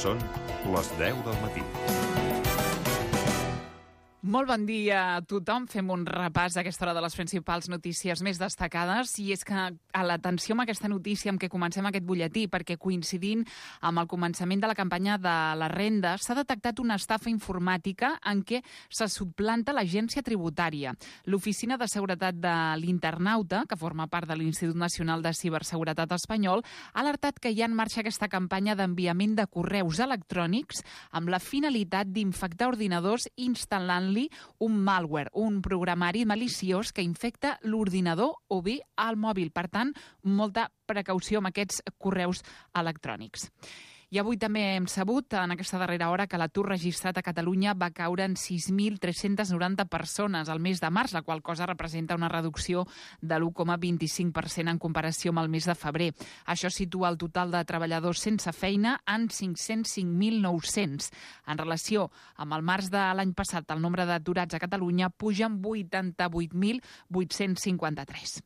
Són les 10 del matí. Molt bon dia a tothom. Fem un repàs a aquesta hora de les principals notícies més destacades. I és que a l'atenció amb aquesta notícia amb què comencem aquest butlletí, perquè coincidint amb el començament de la campanya de la renda, s'ha detectat una estafa informàtica en què se suplanta l'agència tributària. L'Oficina de Seguretat de l'Internauta, que forma part de l'Institut Nacional de Ciberseguretat Espanyol, ha alertat que hi ha en marxa aquesta campanya d'enviament de correus electrònics amb la finalitat d'infectar ordinadors instal·lant-li un malware, un programari maliciós que infecta l'ordinador o bé el mòbil. Per tant, molta precaució amb aquests correus electrònics. I avui també hem sabut, en aquesta darrera hora, que l'atur registrat a Catalunya va caure en 6.390 persones al mes de març, la qual cosa representa una reducció de l'1,25% en comparació amb el mes de febrer. Això situa el total de treballadors sense feina en 505.900. En relació amb el març de l'any passat, el nombre d'aturats a Catalunya puja en 88.853.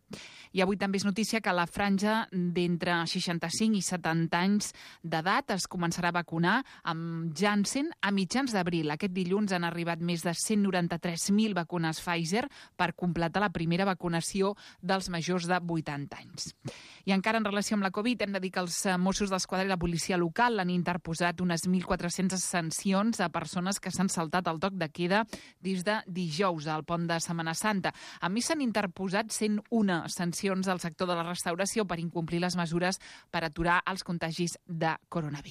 I avui també és notícia que la franja d'entre 65 i 70 anys d'edat es començarà a vacunar amb Janssen a mitjans d'abril. Aquest dilluns han arribat més de 193.000 vacunes Pfizer per completar la primera vacunació dels majors de 80 anys. I encara en relació amb la Covid, hem de dir que els Mossos d'Esquadra i la policia local han interposat unes 1.400 sancions a persones que s'han saltat el toc de queda des de dijous al pont de Setmana Santa. A més, s'han interposat 101 sancions al sector de la restauració per incomplir les mesures per aturar els contagis de coronavirus.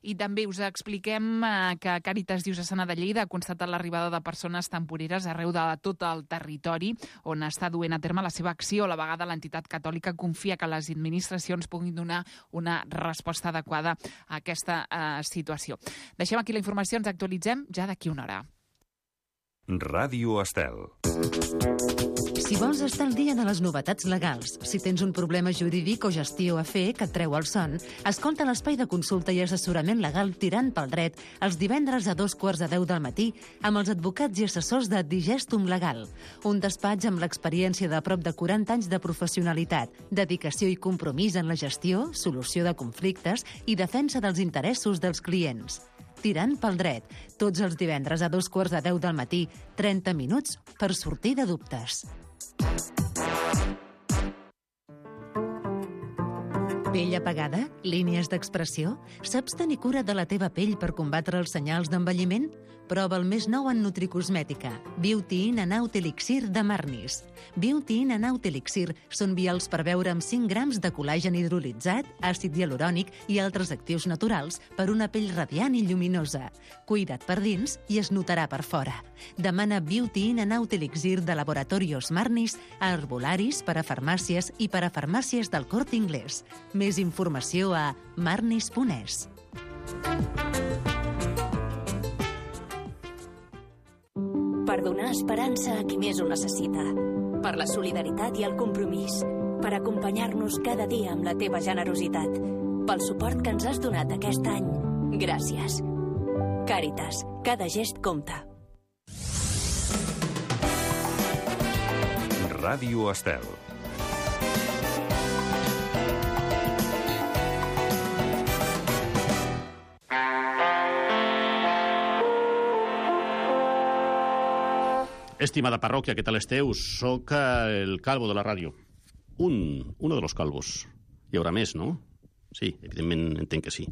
I també us expliquem que Càritas Diocesana de Lleida ha constatat l'arribada de persones temporeres arreu de tot el territori on està duent a terme la seva acció. A la vegada, l'entitat catòlica confia que les administracions puguin donar una resposta adequada a aquesta situació. Deixem aquí la informació, ens actualitzem ja d'aquí una hora. Ràdio Estel. Si vols estar al dia de les novetats legals, si tens un problema jurídic o gestió a fer que et treu el son, escolta l'espai de consulta i assessorament legal Tirant pel Dret els divendres a 2:15 del matí amb els advocats i assessors de Digestum Legal, un despatx amb l'experiència de prop de 40 anys de professionalitat, dedicació i compromís en la gestió, solució de conflictes i defensa dels interessos dels clients. Tirant pel Dret, tots els divendres a 2:15 del matí, 30 minuts per sortir de dubtes. Pell apagada? Línies d'expressió? Saps tenir cura de la teva pell per combatre els senyals d'envelliment? Prova el més nou en nutricosmètica, Beauty In and Out Elixir de Marnis. Beauty In and Out Elixir són vials per beure amb 5 grams de col·làgen hidrolitzat, àcid hialurònic i altres actius naturals per una pell radiant i lluminosa. Cuida't per dins i es notarà per fora. Demana Beauty In and Out Elixir de Laboratorios Marnis a herbolaris, per a farmàcies i per a farmàcies del Corte Inglés. Més informació a marnis.es. Per donar esperança a qui més ho necessita. Per la solidaritat i el compromís. Per acompanyar-nos cada dia amb la teva generositat. Pel suport que ens has donat aquest any. Gràcies. Càritas. Cada gest compta. Ràdio Estel. Estimada parròquia, què tal esteu? Soc el calvo de la ràdio. Uno de los calvos. Hi haurà més, no? Sí, evidentment entenc que sí.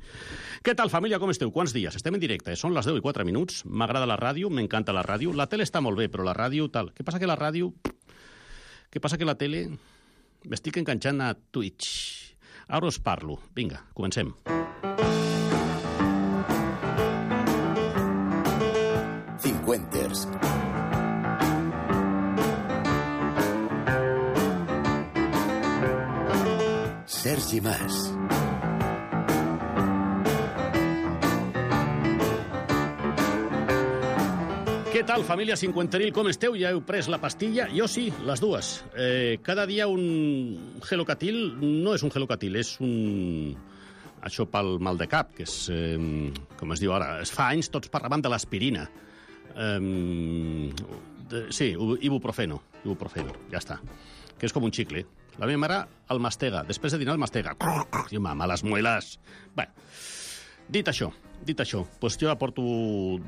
Què tal, família, com esteu? Quants dies? Estem en directe, són les 10:04. M'agrada la ràdio, m'encanta la ràdio. La tele està molt bé, però la ràdio tal. Què passa que la ràdio... Què passa que la tele... M'estic enganxant a Twitch. Ara us parlo. Vinga, comencem. Cincuenters. Sergi Mas. Què tal, família cinquenteril? Com esteu? Ja heu pres la pastilla? Jo sí, les dues. Cada dia un gelocatil. No és un gelocatil, és un... Això pel mal de cap, que és... com es diu ara? Es fa anys tots parlaven de l'aspirina. Sí, ibuprofeno, ja està. Que és com un xicle. La meva mare el mastega. Després de dinar el mastega. Diu, mama, les muelas. Bé, Dit això, doncs jo aporto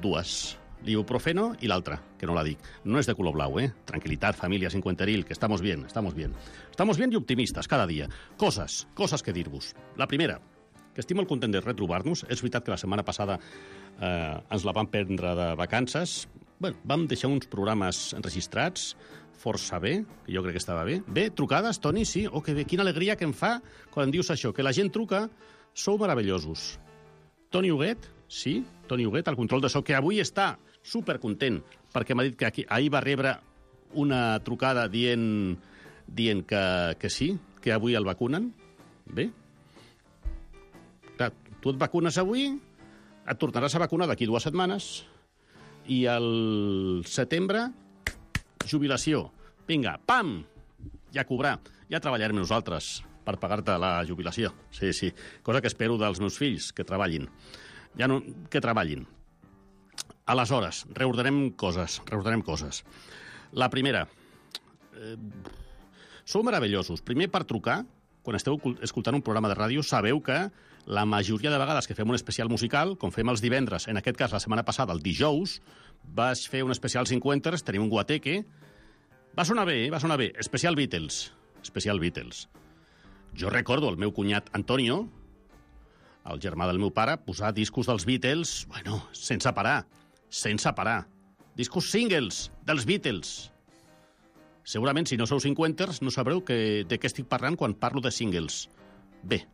dues. L'ibuprofeno i l'altra, que no la dic. No és de color blau, Tranquilitat, família cincuenteril, que estamos bien, estamos bien. Estamos bien i optimistes cada dia. Coses que dir-vos. La primera, que estic molt content de retrobar-nos. És veritat que la setmana passada ens la vam prendre de vacances. Bueno, vam deixar uns programes enregistrats força bé, que jo crec que estava bé. Bé, trucades, Toni, sí? Oh, que bé, quina alegria que em fa quan em dius això, que la gent truca. Sou meravellosos. Toni Huguet, sí, Toni Huguet, al control de so, que avui està supercontent, perquè m'ha dit que ahir va rebre una trucada dient que sí, que avui el vacunen. Bé. Clar, tu et vacunes avui, et tornaràs a vacunar d'aquí 2 setmanes, i al setembre, jubilació. Vinga, pam! Ja cobrar. Ja treballarem nosaltres per pagar-te la jubilació. Sí, sí. Cosa que espero dels meus fills, que treballin. Ja no, que treballin. Aleshores, reordenem coses. La primera, sou meravellosos. Primer, per trucar, quan esteu escoltant un programa de ràdio, sabeu que la majoria de vegades que fem un especial musical, com fem els divendres, en aquest cas la setmana passada, el dijous, vaig fer un especial 50ers, tenim un guateque. Va sonar bé. Especial Beatles. Jo recordo el meu cunyat Antonio, el germà del meu pare, posar discos dels Beatles, bueno, sense parar. Discos singles dels Beatles. Segurament, si no sou 50ers, no sabreu de què estic parlant quan parlo de singles. Bé,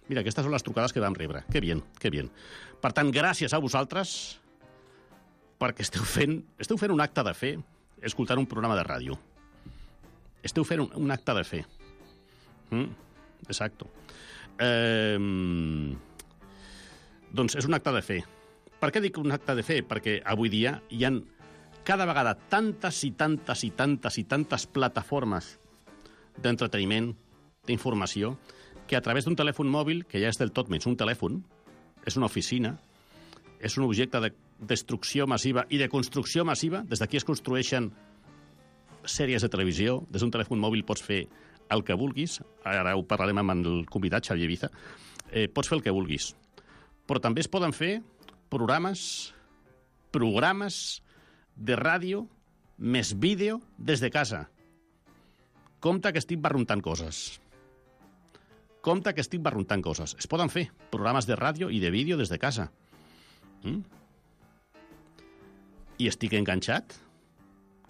mira, aquestes són les trucades que vam rebre. Que bien. Per tant, gràcies a vosaltres, perquè esteu fent un acte de fe escoltant un programa de ràdio. Esteu fent un acte de fe. Exacto. Doncs és un acte de fe. Per què dic un acte de fe? Perquè avui dia hi ha cada vegada tantes plataformes d'entreteniment, d'informació, que a través d'un telèfon mòbil, que ja és del tot menys un telèfon, és una oficina, és un objecte de destrucció massiva i de construcció massiva. Des d'aquí es construeixen sèries de televisió. Des d'un telèfon mòbil pots fer el que vulguis. Ara ho parlarem amb el convidat, Xavier Ibiza. Pots fer el que vulguis. Però també es poden fer programes de ràdio més vídeo des de casa. Compte que estic barruntant coses. Es poden fer programes de ràdio i de vídeo des de casa. I estic enganxat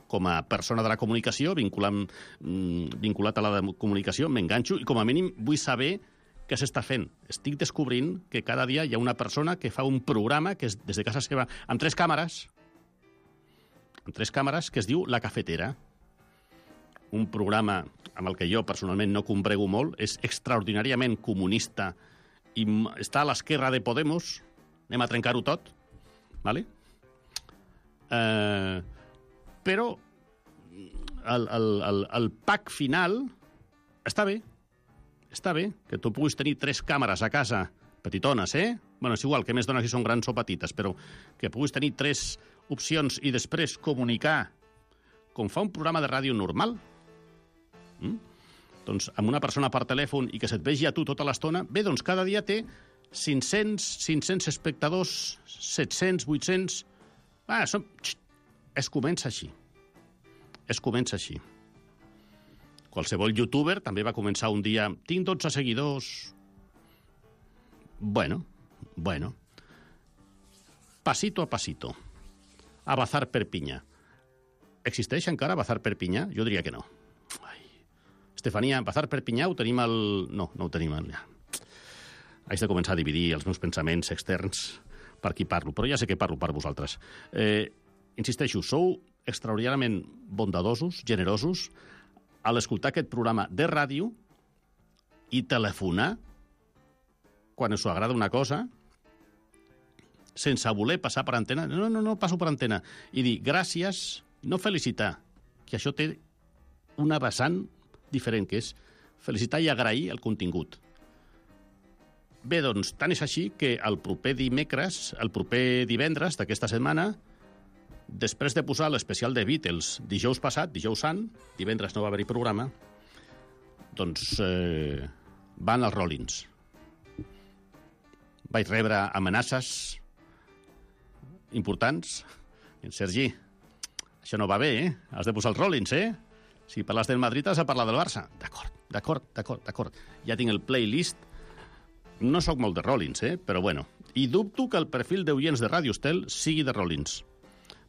com a persona de la comunicació, vinculat a la comunicació, m'enganxo i com a mínim vull saber què s'està fent. Estic descobrint que cada dia hi ha una persona que fa un programa que és des de casa seva, amb 3 càmeres, que es diu La Cafetera. Un programa amb el que jo personalment no combrego molt, és extraordinàriament comunista i està a l'esquerra de Podemos. Anem a trencar-ho tot, ¿vale? Però el pack final està bé, que tu puguis tenir 3 càmeres a casa, petitones, Bueno, és igual, que més dona si són grans o petites, però que puguis tenir 3 opcions i després comunicar com fa un programa de ràdio normal. Doncs amb una persona per telèfon i que se't vegi a tu tota l'estona, bé, doncs cada dia té 500 espectadors, 700, 800... Es comença així. Qualsevol youtuber també va començar un dia... Tinc 12 seguidors... Bueno. Pasito a pasito. A Bazar Perpinyà. Existeix encara Bazar Perpinyà? Jo diria que no. Estefania, Bazar Perpinyà ho tenim al... No ho tenim al... Haig de començar a dividir els meus pensaments externs per qui parlo, però ja sé que parlo per vosaltres. Insisteixo, sou extraordinàriament bondadosos, generosos, a l'escoltar aquest programa de ràdio i telefonar quan us agrada una cosa sense voler passar per antena. No passo per antena. I dir gràcies, no felicitar, que això té una vessant diferent, que és felicitar i agrair el contingut. Bé, doncs, tant és així que el proper divendres d'aquesta setmana, després de posar l'especial de Beatles dijous passat, dijous sant, divendres no va haver-hi programa, doncs van els Rollins. vaig rebre amenaces importants. En Sergi, això no va bé, Has de posar els Rollins, Si parles del Madrid has de parlar del Barça. D'acord. Ja tinc el playlist. No sóc molt de Rollins, però bueno. I dubto que el perfil d'oients de Ràdio Estel sigui de Rollins.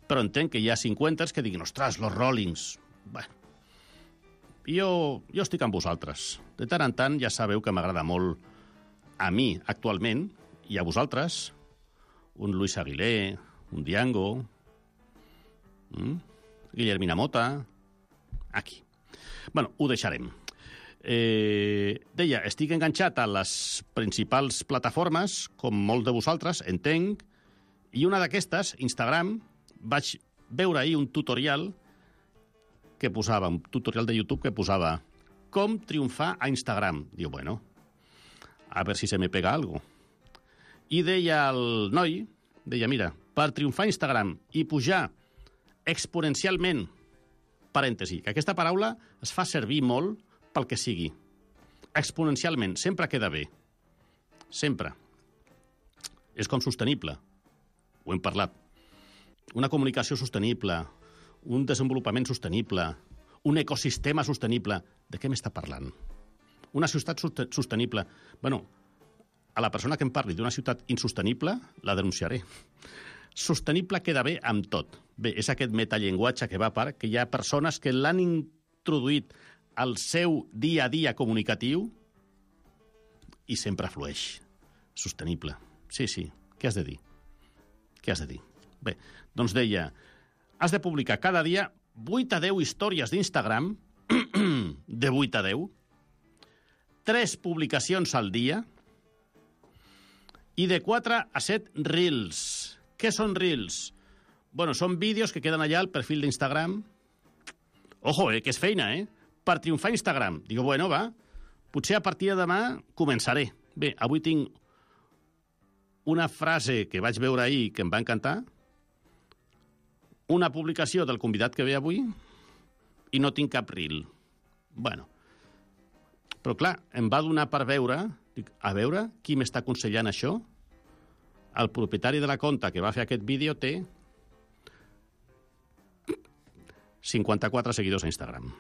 Però entenc que hi ha 50 que diguin, ostres, los Rollins. Bueno, jo estic amb vosaltres. De tant en tant ja sabeu que m'agrada molt a mi, actualment, i a vosaltres, un Luis Aguilé, un Diango, Guillermina Mota, aquí. Bueno, ho deixarem. Deia, estic enganxat a les principals plataformes, com molts de vosaltres, entenc, i una d'aquestes, Instagram, vaig veure ahir un tutorial que posava, un tutorial de YouTube que posava com triomfar a Instagram. Diu, bueno, a ver si se me pega algo. I deia el noi, mira, per triomfar a Instagram i pujar exponencialment, parèntesi, que aquesta paraula es fa servir molt pel que sigui. Exponencialment, sempre queda bé. Sempre. És com sostenible. Ho hem parlat. Una comunicació sostenible, un desenvolupament sostenible, un ecosistema sostenible. De què m'està parlant? Una ciutat sostenible. Bueno, a la persona que em parli d'una ciutat insostenible, la denunciaré. Sostenible queda bé amb tot. Bé, és aquest metallenguatge que va a part, que hi ha persones que l'han introduït al seu dia a dia comunicatiu i sempre flueix. Sostenible. Sí. Què has de dir? Bé, doncs deia, has de publicar cada dia 8 a 10 històries d'Instagram, de 8 a 10, 3 publicacions al dia i de 4 a 7 reels. Què són reels? Bueno, són vídeos que queden allà al perfil d'Instagram. Ojo, que és feina, Per triomfar a Instagram. Digo, bueno, va, potser a partir de demà començaré. Bé, avui tinc una frase que vaig veure ahir que em va encantar, una publicació del convidat que ve avui i no tinc cap reel. Bueno, però clar, em va donar per veure, dic, a veure qui m'està aconsellant això. El propietari de la conta que va fer aquest vídeo té 54 seguidors a Instagram.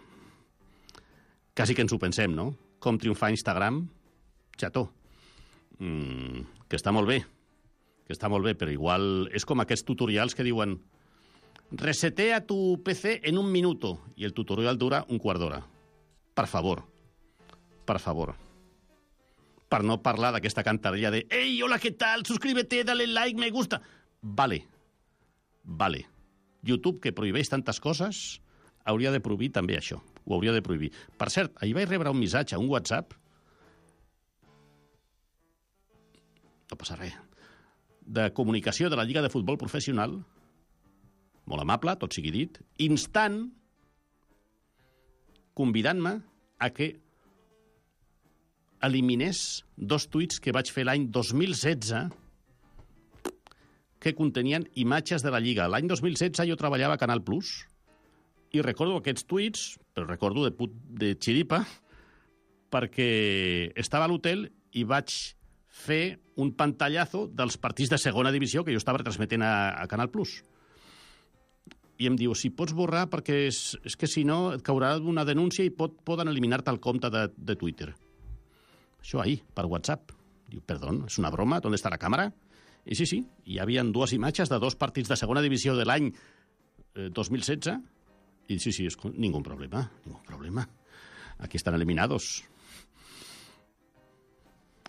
Quasi que ens ho pensem, no? Com triomfar a Instagram? Xató. Que està molt bé, però igual és com aquests tutorials que diuen resetea tu PC en 1 minuto i el tutorial dura un quart d'hora. Per favor. Per no parlar d'aquesta cantarella de «Ei, hola, què tal? Suscríbete, dale like, me gusta». Vale. YouTube, que prohibeix tantes coses, hauria de prohibir també això. Ho hauria de prohibir. Per cert, ahir vaig rebre un missatge, un WhatsApp, no passa res, de comunicació de la Lliga de Futbol Professional, molt amable, tot sigui dit, instant, convidant-me a que eliminés 2 tuits que vaig fer l'any 2016 que contenien imatges de la Lliga. L'any 2016 jo treballava a Canal Plus i recordo aquests tuits, però recordo de xiripa, perquè estava a l'hotel i vaig fer un pantallazo dels partits de segona divisió que jo estava retransmetent a Canal Plus. I em diu, si pots borrar perquè és que si no et caurà una denúncia i poden eliminar-te el compte de Twitter. Això ahir, per WhatsApp. Diu, perdó, és una broma? ¿Dónde está la càmera? I sí, hi havia 2 imatges de 2 partits de segona divisió de l'any 2016 i sí, és ningú problema. Aquí estan eliminados.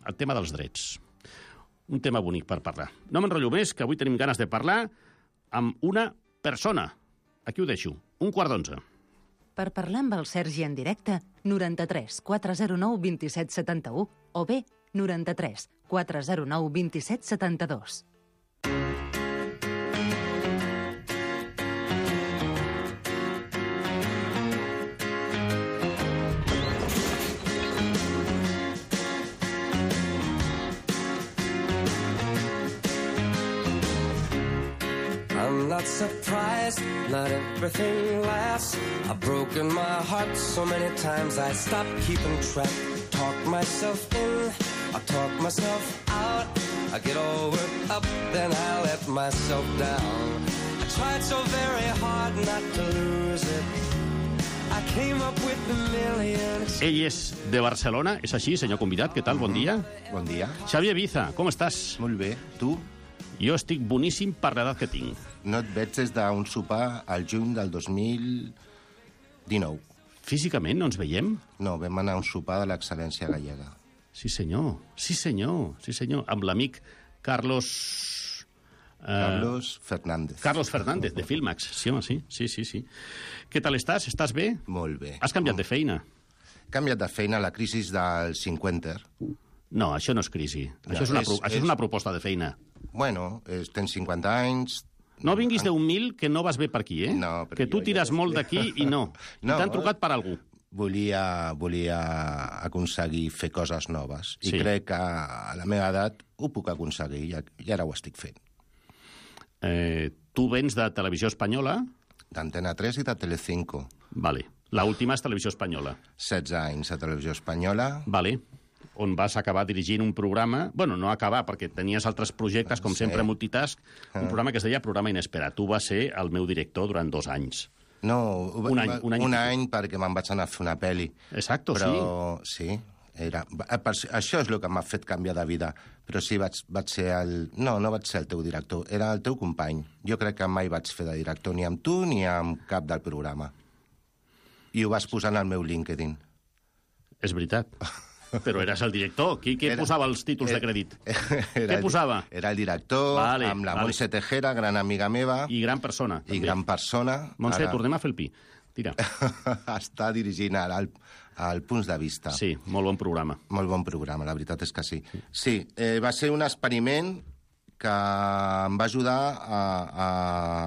El tema dels drets. Un tema bonic per parlar. No m'enrotllo més, que avui tenim ganes de parlar amb una persona. Aquí ho deixo, 11:15. Per parlar amb el Sergi en directe, 93 409 27 71 o bé 93 409 27 72. I'm not surprised, not everything lasts. I've broken my heart so many times I stopped keeping track. Talk myself in, I talk myself out. I get all worked up, then I let myself down. I tried so very hard not to lose it. I came up with a million... Ell és de Barcelona, és així, senyor convidat? Què tal? Bon dia. Bon dia. Xavier Biza, com estàs? Molt bé. Tu? Jo estic boníssim per l'edat que tinc. No et veig des d'un sopar al juny del 2019. Físicament no ens veiem? No, vam anar a un sopar de l'excel·lència gallega. Sí, senyor. Sí, senyor. Sí, senyor. Amb l'amic Carlos... Carlos Fernández. Carlos Fernández, de Filmax. Sí, home, sí. Sí. Què tal estàs? Estàs bé? Molt bé. Has canviat de feina? He canviat de feina a la crisi del 50. No, això no és crisi. No, això és una proposta de feina. Bueno, tens 50 anys... No vinguis d'un mil que no vas bé per aquí, eh? No, però que tu jo tires ja molt d'aquí i no. No. T'han trucat per algú. Volia aconseguir fer coses noves. I Sí. crec que a la meva edat ho puc aconseguir i ara ho estic fent. Tu vens de Televisió Espanyola? D'Antena 3 i de Telecinco. Vale. La última és Televisió Espanyola. 16 anys a Televisió Espanyola. Vale. On vas acabar dirigint un programa... Bueno, no acabar, perquè tenies altres projectes, com sempre, multitask. Un programa que es deia Programa Inesperat. Tu vas ser el meu director durant 2 anys. No, Un any perquè me'n vaig anar a fer una pel·li. Exacto, però, sí. Això és el que m'ha fet canviar de vida. Però sí, vaig ser el... No vaig ser el teu director, era el teu company. Jo crec que mai vaig fer de director ni amb tu ni amb cap del programa. I ho vas posar en el meu LinkedIn. És veritat. Però eres el director. Qui posava els títols de crèdit? Què posava? Era el director, amb la Montse Tejera, gran amiga meva. I gran persona. I gran persona. Montse, tornem a fer el pi. Tira. Està dirigint ara el Punts de Vista. Sí, molt bon programa. Molt bon programa, la veritat és que sí. Sí, va ser un experiment que em va ajudar a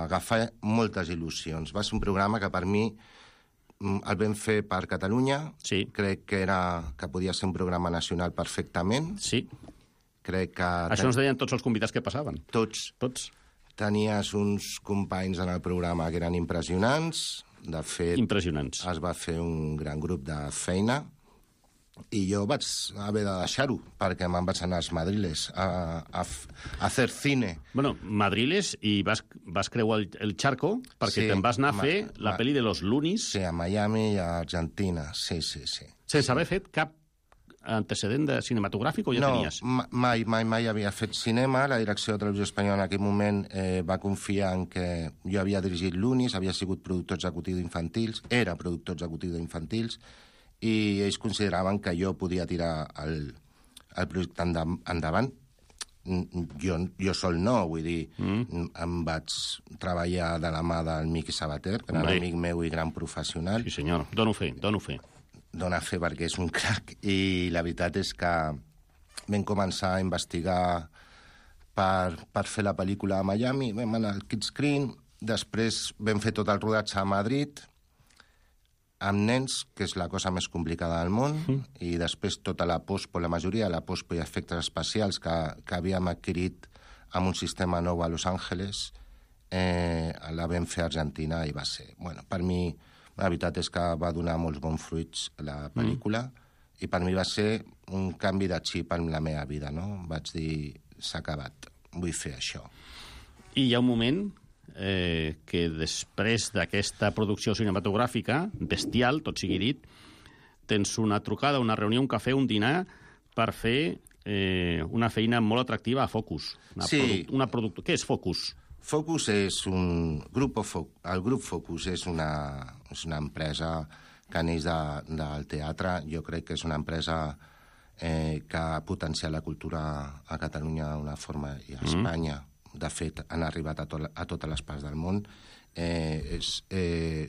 agafar moltes il·lusions. Va ser un programa que per mi el vam fer per Catalunya. Sí. Crec que podia ser un programa nacional perfectament. Sí. Crec que... Això ens deien tots els convidats que passaven. Tots. Tenies uns companys en el programa que eren impressionants. De fet, impressionants. Es va fer un gran grup de feina i jo vaig haver de deixar-ho perquè me'n vaig anar als Madriles a fer cine. Bueno, Madriles, i vas creuar el charco perquè te'n vas anar a fer la pel·li de los Lunis. Sí, a Miami i a Argentina, sí. Sense haver fet cap antecedent de cinematogràfic o ja tenies? No, mai havia fet cinema. La direcció de Televisió Espanyola en aquell moment va confiar en que jo havia dirigit l'Unis, havia sigut productor executiu d'infantils, era productor executiu d'infantils, i ells consideraven que jo podia tirar el projecte endavant. Jo sol no, vull dir, em vaig treballar de la mà del Miqui Sabater, gran amic meu i gran professional. Sí, senyor, dono fe. Dóna fe perquè és un crac, i la veritat és que vam començar a investigar per fer la pel·lícula a Miami, vam anar al Kidscreen, després vam fer tot el rodatge a Madrid, amb nens, que és la cosa més complicada del món, i després tota la pospo, la majoria de la pospo i efectes especials que havíem adquirit amb un sistema nou a Los Angeles, la vam fer a Argentina i va ser... Bueno, per mi... La veritat és que va donar molts bons fruits la pel·lícula i per mi va ser un canvi de xip en la meva vida, no? Vaig dir, s'ha acabat, vull fer això. I hi ha un moment que després d'aquesta producció cinematogràfica, bestial, tot sigui dit, tens una trucada, una reunió, un cafè, un dinar per fer una feina molt atractiva a Focus. Què és Focus? Focus és el grup Focus és una empresa que neix del teatre. Jo crec que és una empresa que ha potenciat la cultura a Catalunya d'una forma, i a Espanya. De fet, han arribat a totes les parts del món.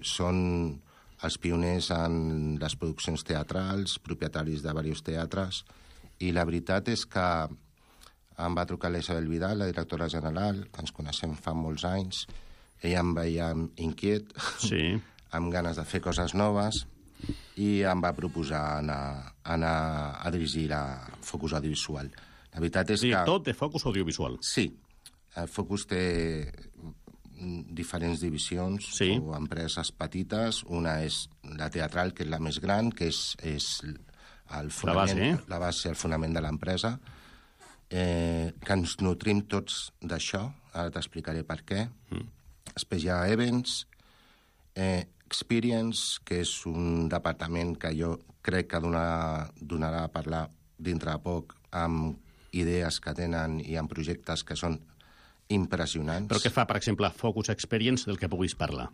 Són els pioners en les produccions teatrals, propietaris de diversos teatres, i la veritat és que em va trucar l'Isabel Vidal, la directora general, que ens coneixem fa molts anys. Ella em veia inquiet, amb ganes de fer coses noves, i em va proposar anar a dirigir la Focus Audiovisual. La veritat és que... Director de Focus Audiovisual. Sí. El Focus té diferents divisions o empreses petites. Una és la teatral, que és la més gran, que és el fonament, la base, el fonament de l'empresa. que ens nutrim tots d'això, ara t'explicaré per què. Després hi ha Events, Experience, que és un departament que jo crec que donarà a parlar dintre de poc amb idees que tenen i amb projectes que són impressionants. Però què fa, per exemple, Focus Experience del que puguis parlar?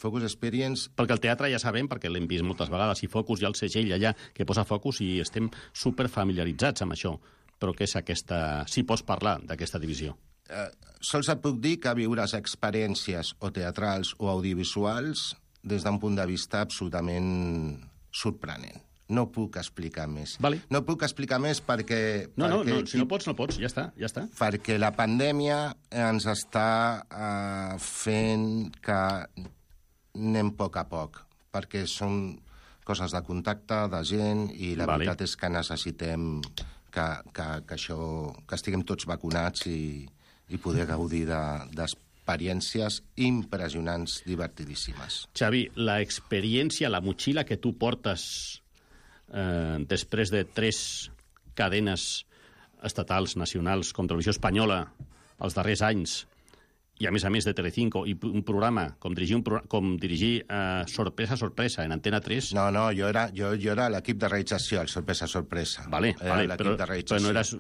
Focus Experience... Perquè el teatre ja sabem, perquè l'hem vist moltes vegades, i Focus hi ha el segell allà que posa Focus i estem superfamiliaritzats amb això. Però què és aquesta... Si pots parlar d'aquesta divisió. Sols et puc dir que viuràs experiències o teatrals o audiovisuals des d'un punt de vista absolutament sorprenent. No puc explicar més. Vale. No puc explicar més perquè... No, si no pots, ja està. Perquè la pandèmia ens està fent que anem a poc, perquè són coses de contacte, de gent, i la veritat és que necessitem que estiguem tots vacunats i poder gaudir d'experiències impressionants, divertidíssimes. Xavi, l'experiència, la motxilla que tu portes després de 3 cadenes estatals, nacionals, com Televisió Espanyola, els darrers anys, i a més de Telecinco, i un programa, com dirigir Sorpresa en Antena 3... No, jo era l'equip de realització, el Sorpresa. Vale, però no eres...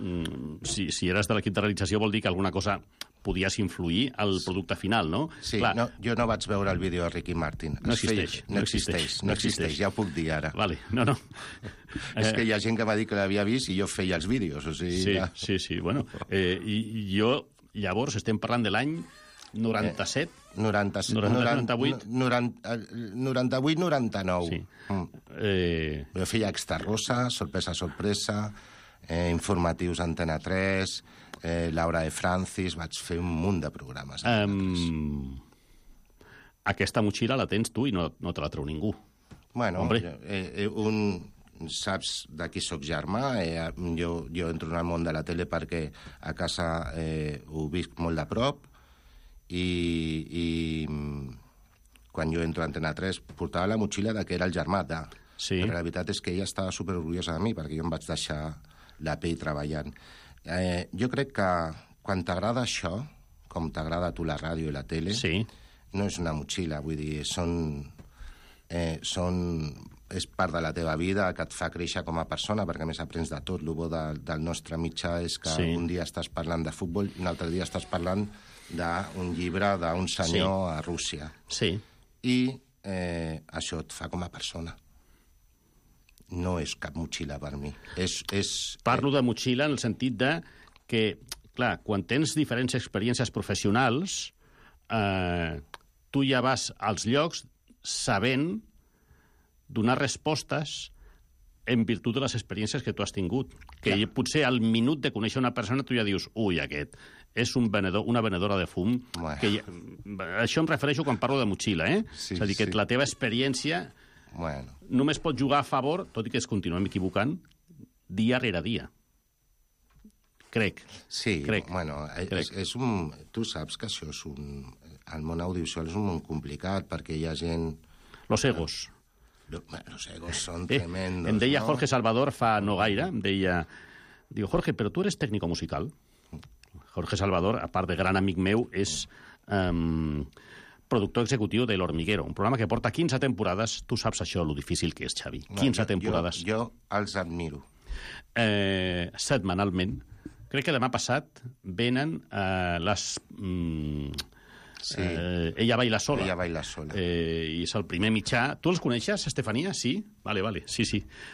Si eres de l'equip de realització vol dir que alguna cosa podies influir al producte final, no? Sí, no, jo no vaig veure el vídeo de Ricky Martin. No existeix, ja ho puc dir ara. Vale, no. És que hi ha gent que m'ha dit que l'havia vist i jo feia els vídeos, o sigui... Sí, bueno. I jo, llavors, estem parlant de l'any 97? 98, 99. Sí. Jo feia Extra Rosa, Sorpresa, informatius Antena 3, Laura de Francis, vaig fer un munt de programes. Aquesta motxilla la tens tu i no te la treu ningú. Bueno, saps de qui sóc germà? Jo entro en el món de la tele perquè a casa ho visc molt de prop, i quan jo entro a Antena 3 portava la motxilla que era el germà de... Sí. Però la veritat és que ella estava superorgullosa de mi perquè jo em vaig deixar la pell treballant. Jo crec que quan t'agrada això, com t'agrada a tu la ràdio i la tele, no és una motxilla, vull dir, és part de la teva vida, que et fa créixer com a persona, perquè a més aprens de tot. El bo del nostre mitjà és que un dia estàs parlant de futbol i un altre dia estàs parlant d'un llibre d'un senyor a Rússia. Sí. I això et fa com a persona. No és cap motxilla per mi. Parlo de motxilla en el sentit de que, clar, quan tens diferents experiències professionals, tu ja vas als llocs sabent donar respostes en virtut de les experiències que tu has tingut. Que potser al minut de conèixer una persona tu ja dius, aquest és una venedora de fum. Això em refereixo quan parlo de motxilla, és a dir, que la teva experiència només pot jugar a favor, tot i que es continuem equivocant, dia rere dia. Crec. Sí, bueno, tu saps que això és el món audiovisual és un món complicat, perquè hi ha gent... Los egos. Los egos son tremendos. Em deia Jorge Salvador fa no gaire, em deia... Digo, Jorge, però tu eres técnico musical? Jorge Salvador, a part de gran amic meu, és productor executiu de L'Hormiguero, un programa que porta 15 temporades. Tu saps això, lo difícil que és, Xavi. 15 temporades. Jo els admiro. Setmanalment. Crec que demà passat venen les... Ella baila sola. Ella baila sola. I és el primer mitjà. Tu els coneixes, Estefania? Sí? Vale. Sí.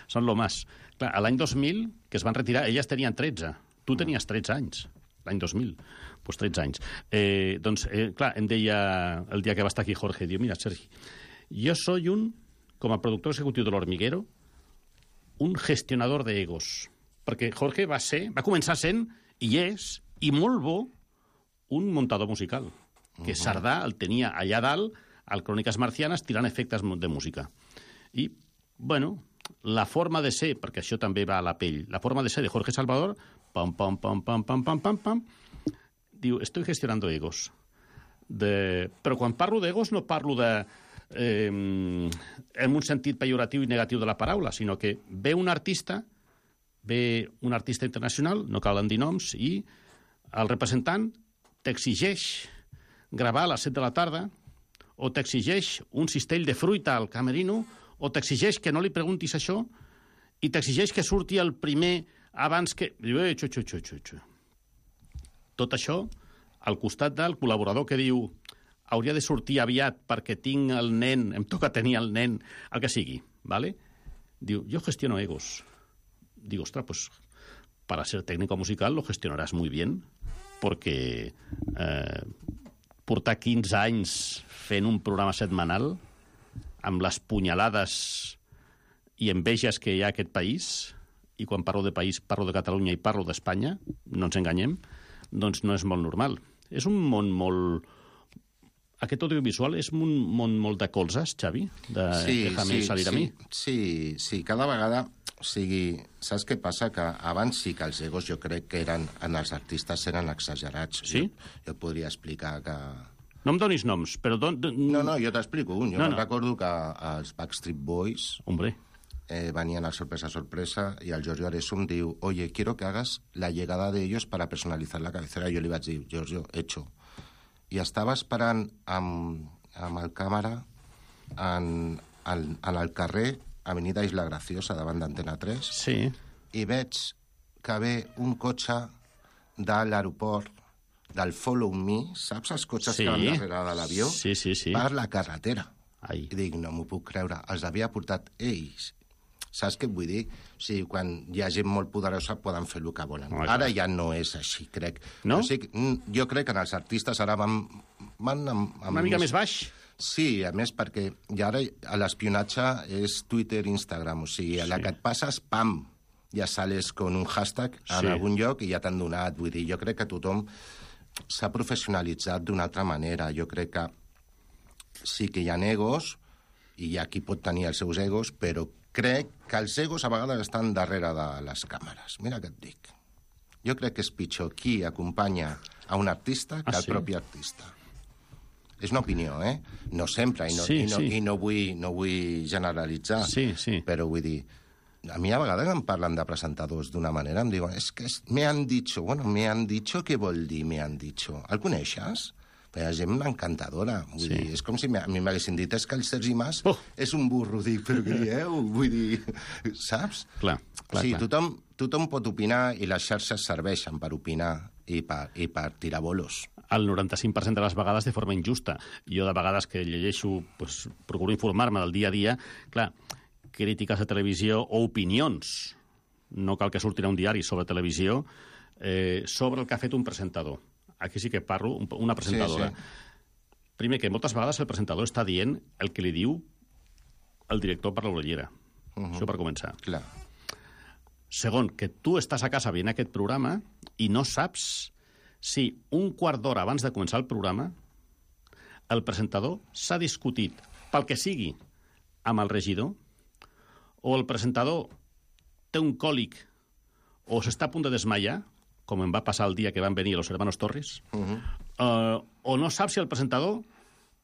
Són lo más. Clar, a l'any 2000, que es van retirar, elles tenien 13. Tu tenies 13 anys, l'any 2000. Doncs 13 anys. Clar, em deia el dia que va estar aquí Jorge, diu, mira, Sergi, yo soy com a productor executiu de L'Hormiguero, un gestionador de egos. Perquè Jorge va començar sent, i és, i molt bo, un muntador musical. Que Sardà el tenia allà dalt, al Cròniques Marcianes, tirant efectes de música. I, bueno, la forma de ser, perquè això també va a la pell, la forma de ser de Jorge Salvador, pam, diu, estoy gestionando egos. Però quan parlo d'egos no parlo en un sentit pejoratiu i negatiu de la paraula, sinó que ve un artista, ve un artista internacional, no calen dir noms, i el representant t'exigeix gravar a les 7 de la tarda, o t'exigeix un cistell de fruita al camerino, o t'exigeix que no li preguntis això, i t'exigeix que surti el primer abans que... Tot això al costat del col·laborador que diu hauria de sortir aviat perquè tinc el nen, em toca tenir el nen, el que sigui, ¿vale? Diu, yo gestiono egos. Digo, ostras, pues para ser técnico musical lo gestionarás muy bien, porque portar 15 anys fent un programa setmanal amb les punyalades i enveges que hi ha a aquest país, i quan parlo de país parlo de Catalunya i parlo d'Espanya, no ens enganyem, doncs no és molt normal. És un món molt... Aquest audiovisual és un món molt de colzes, Xavi? Déjame salir a mi. Sí, cada vegada... O sigui, saps què passa? Que abans sí que els egos jo crec que eren, en els artistes eren exagerats. Sí? Jo et podria explicar que... No em donis noms, però... No, jo t'explico un. Jo recordo que els Backstreet Boys... Hombre. Venien al sorpresa y el Giorgio Aresum diu, oye, quiero que hagas la llegada de ellos para personalizar la cabecera. Jo li vaig dir, Giorgio, hecho. I estava esperant amb el càmera en el carrer Avenida Isla Graciosa, davant d'Antena 3, sí. I veig que ve un cotxe de l'aeroport, del Follow Me, saps els cotxes que van darrere de l'avió? Sí. Per la carretera. Ai. I dic, no m'ho puc creure, els havia portat ells. Saps què et vull dir? O sigui, quan hi ha gent molt poderosa poden fer el que volen. Ara ja no és així, crec. No? O sigui, jo crec que en els artistes ara van una mica més baix? Sí, a més, perquè ja ara l'espionatge és Twitter, Instagram, o sigui, a la que et passes, pam, ja sales con un hashtag en algun lloc i ja t'han donat. Vull dir, jo crec que tothom s'ha professionalitzat d'una altra manera. Jo crec que sí que hi ha egos, i hi ha qui pot tenir els seus egos, però crec que els egos a vegades estan darrere de les càmeres. Mira què et dic. Jo crec que és pitjor qui acompanya a un artista que el propi artista. És una opinió, eh? No sempre, i no vull generalitzar, però vull dir, a mi a vegades em parlen de presentadors d'una manera, em diuen, és que me han dicho, me han dicho, què vol dir me han dicho? El coneixes? Hi ha gent encantadora. Vull dir, és com si a mi m'haguessin dit, és que el Sergi Mas és un burro. Dic, però què dieu? Vull dir, saps? Clar. Sí, tothom pot opinar i les xarxes serveixen per opinar i per tirar bolos. El 95% de les vegades de forma injusta. Jo de vegades que llegeixo, pues, procuro informar-me del dia a dia, clar, crítiques de televisió o opinions, no cal que surtin a un diari sobre televisió, sobre el que ha fet un presentador. Aquí sí que parlo, una presentadora. Sí. Primer, que moltes vegades el presentador està dient el que li diu el director per l'orellera. Això per començar. Clar. Segon, que tu estàs a casa veient aquest programa i no saps si un quart d'hora abans de començar el programa el presentador s'ha discutit pel que sigui amb el regidor, o el presentador té un còlic o s'està a punt de desmaiar, com em va passar el dia que van venir los hermanos Torres, o no sap si el presentador,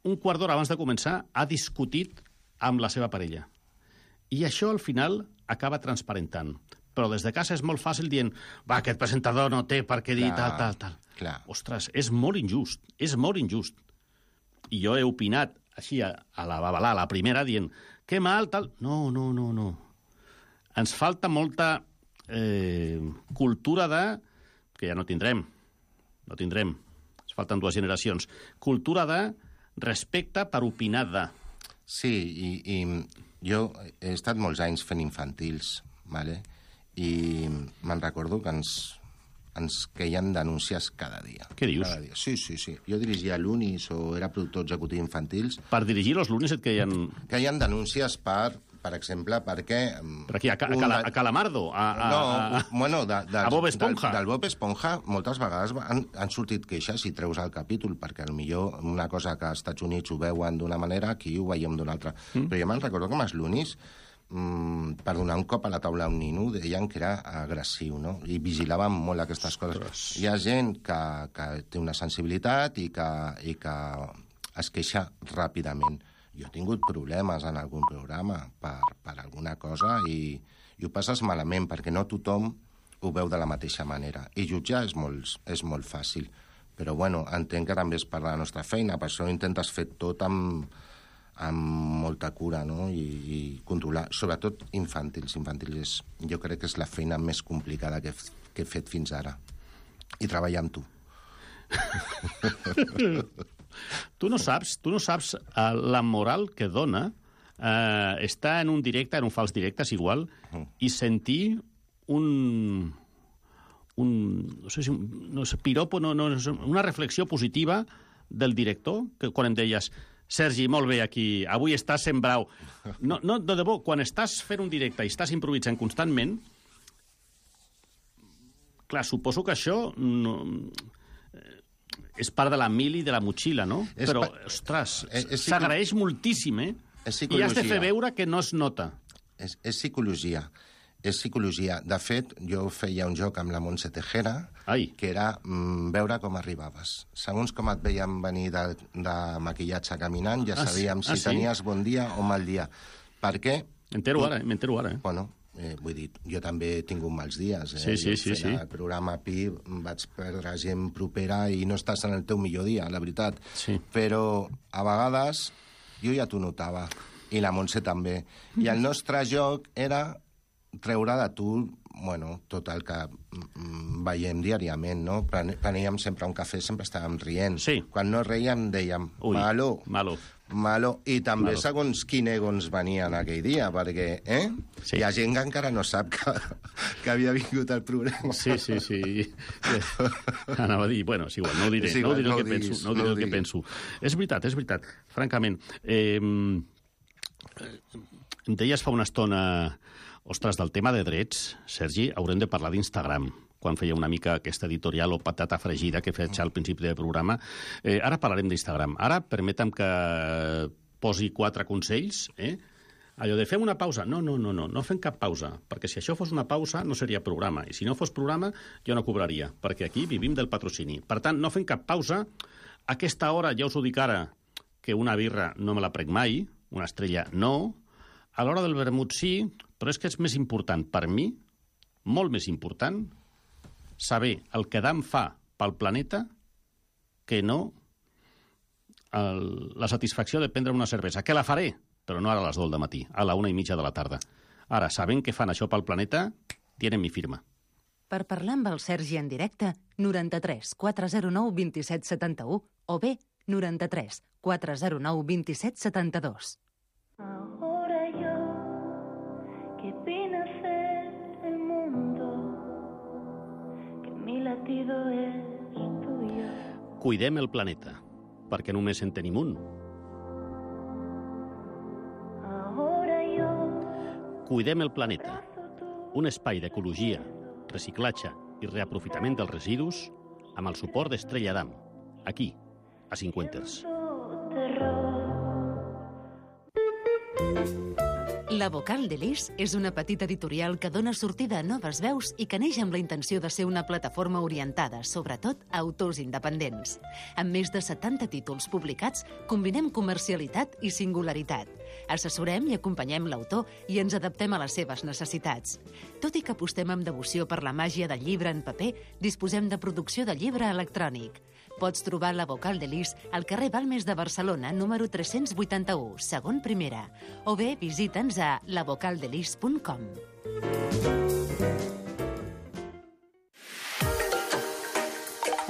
un quart d'hora abans de començar, ha discutit amb la seva parella. I això, al final, acaba transparentant. Però des de casa és molt fàcil dient va, aquest presentador no té per què dir tal. Clar. Ostres, és molt injust, és molt injust. I jo he opinat així a la babalà, a la primera, dient que mal, tal... No. Ens falta molta cultura de... que ja no tindrem. Ens falten 2 generacions. Cultura de respecte per opinar de... Sí, i jo he estat molts anys fent infantils, ¿vale? I me'n recordo que ens queien denúncies cada dia. Què dius? Cada dia. Sí. Jo dirigia l'Unis o era productor executiu infantils. Per dirigir els l'Unis et queien... Queien denúncies per exemple, perquè... Per aquí, a Calamardo? A Bob Esponja? Del Bob Esponja moltes vegades han sortit queixes i treus el capítol, perquè potser una cosa que als Estats Units ho veuen d'una manera, aquí ho veiem d'una altra. Però jo me'n recordo que amb els l'Unis, per donar un cop a la taula a un nino, deien que era agressiu, no? I vigilaven molt aquestes coses. Hi ha gent que té una sensibilitat i que es queixa ràpidament. Jo he tingut problemes en algun programa per alguna cosa i i ho passes malament, perquè no tothom ho veu de la mateixa manera. I jutjar és molt fàcil. Però, bueno, entenc que també és per la nostra feina, per això intentes fer tot amb molta cura, no? I controlar, sobretot infantils. Infantils jo crec que és la feina més complicada que he fet fins ara. I treballar amb tu. Tu no saps la moral que dona estar en un directe, en un fals directe, és igual, i sentir no sé, piropo, una reflexió positiva del director, que quan em deies Sergi, molt bé aquí, avui estàs sent brau. No, de debò, quan estàs fent un directe i estàs improvisant constantment, clar, suposo que això és part de la mili de la motxilla, no? Però, ostres, s'agraeix moltíssim, I has de fer veure que no es nota. És psicologia. És psicologia. De fet, jo feia un joc amb la Montse Tejera, que era veure com arribaves. Segons com et veiem venir de maquillatge caminant, ja sabíem si tenies bon dia o mal dia. Per què? M'entero ara. Bueno, vull dir, jo també he tingut mals dies. Sí. El programa PI vaig perdre gent propera i no estàs en el teu millor dia, la veritat. Sí. Però a vegades jo ja t'ho notava, i la Montse també. I el nostre joc era treure de tu, bueno, tot el que veiem diàriament, no? Preníem sempre un cafè, sempre estàvem rient. Sí. Quan no reiem, dèiem, malo. I també segons quin ego ens venia en aquell dia, perquè hi ha gent que encara no sap que havia vingut al programa. Sí. Anava a dir, bueno, és igual, no ho diré, no diré el que penso. És veritat, francament. Em deies fa una estona, ostres, del tema de drets, Sergi, haurem de parlar d'Instagram, quan feia una mica aquesta editorial o patata fregida que faig al principi del programa. Ara parlarem d'Instagram. Ara, permetem que posi 4 consells, Allò de fem una pausa. No fem cap pausa, perquè si això fos una pausa no seria programa, i si no fos programa jo no cobraria, perquè aquí vivim del patrocini. Per tant, no fem cap pausa. A aquesta hora, ja us ho dic ara, que una birra no me la prenc mai, una estrella no, a l'hora del vermut sí, però és que és més important per mi, molt més important, saber el que Adam fa pel planeta que no la satisfacció de prendre una cervesa, que la faré, però no ara a les 2 del matí, a la 1:30 de la tarda. Ara, sabent que fan això pel planeta, tienen mi firma. Per parlar amb el Sergi en directe, 93 409 27 71 o bé 93 409 27 72. Ahora yo, que vine a ser el mundo, que mi latido es tuyo. Cuidem el planeta, perquè només en tenim un. Ahora yo, Cuidem el planeta, un espai d'ecologia, reciclatge i reaprofitament dels residus amb el suport d'Estrella Damm, aquí, a Cinquenters. La Vocal de Lis és una petita editorial que dona sortida a noves veus i que neix amb la intenció de ser una plataforma orientada, sobretot, a autors independents. Amb més de 70 títols publicats, combinem comercialitat i singularitat. Assessorem i acompanyem l'autor i ens adaptem a les seves necessitats. Tot i que apostem amb devoció per la màgia del llibre en paper, disposem de producció de llibre electrònic. Pots trobar la Vocal de Lis al carrer Balmes de Barcelona, número 381, segon primera, o bé visita'ns a lavocaldelis.com.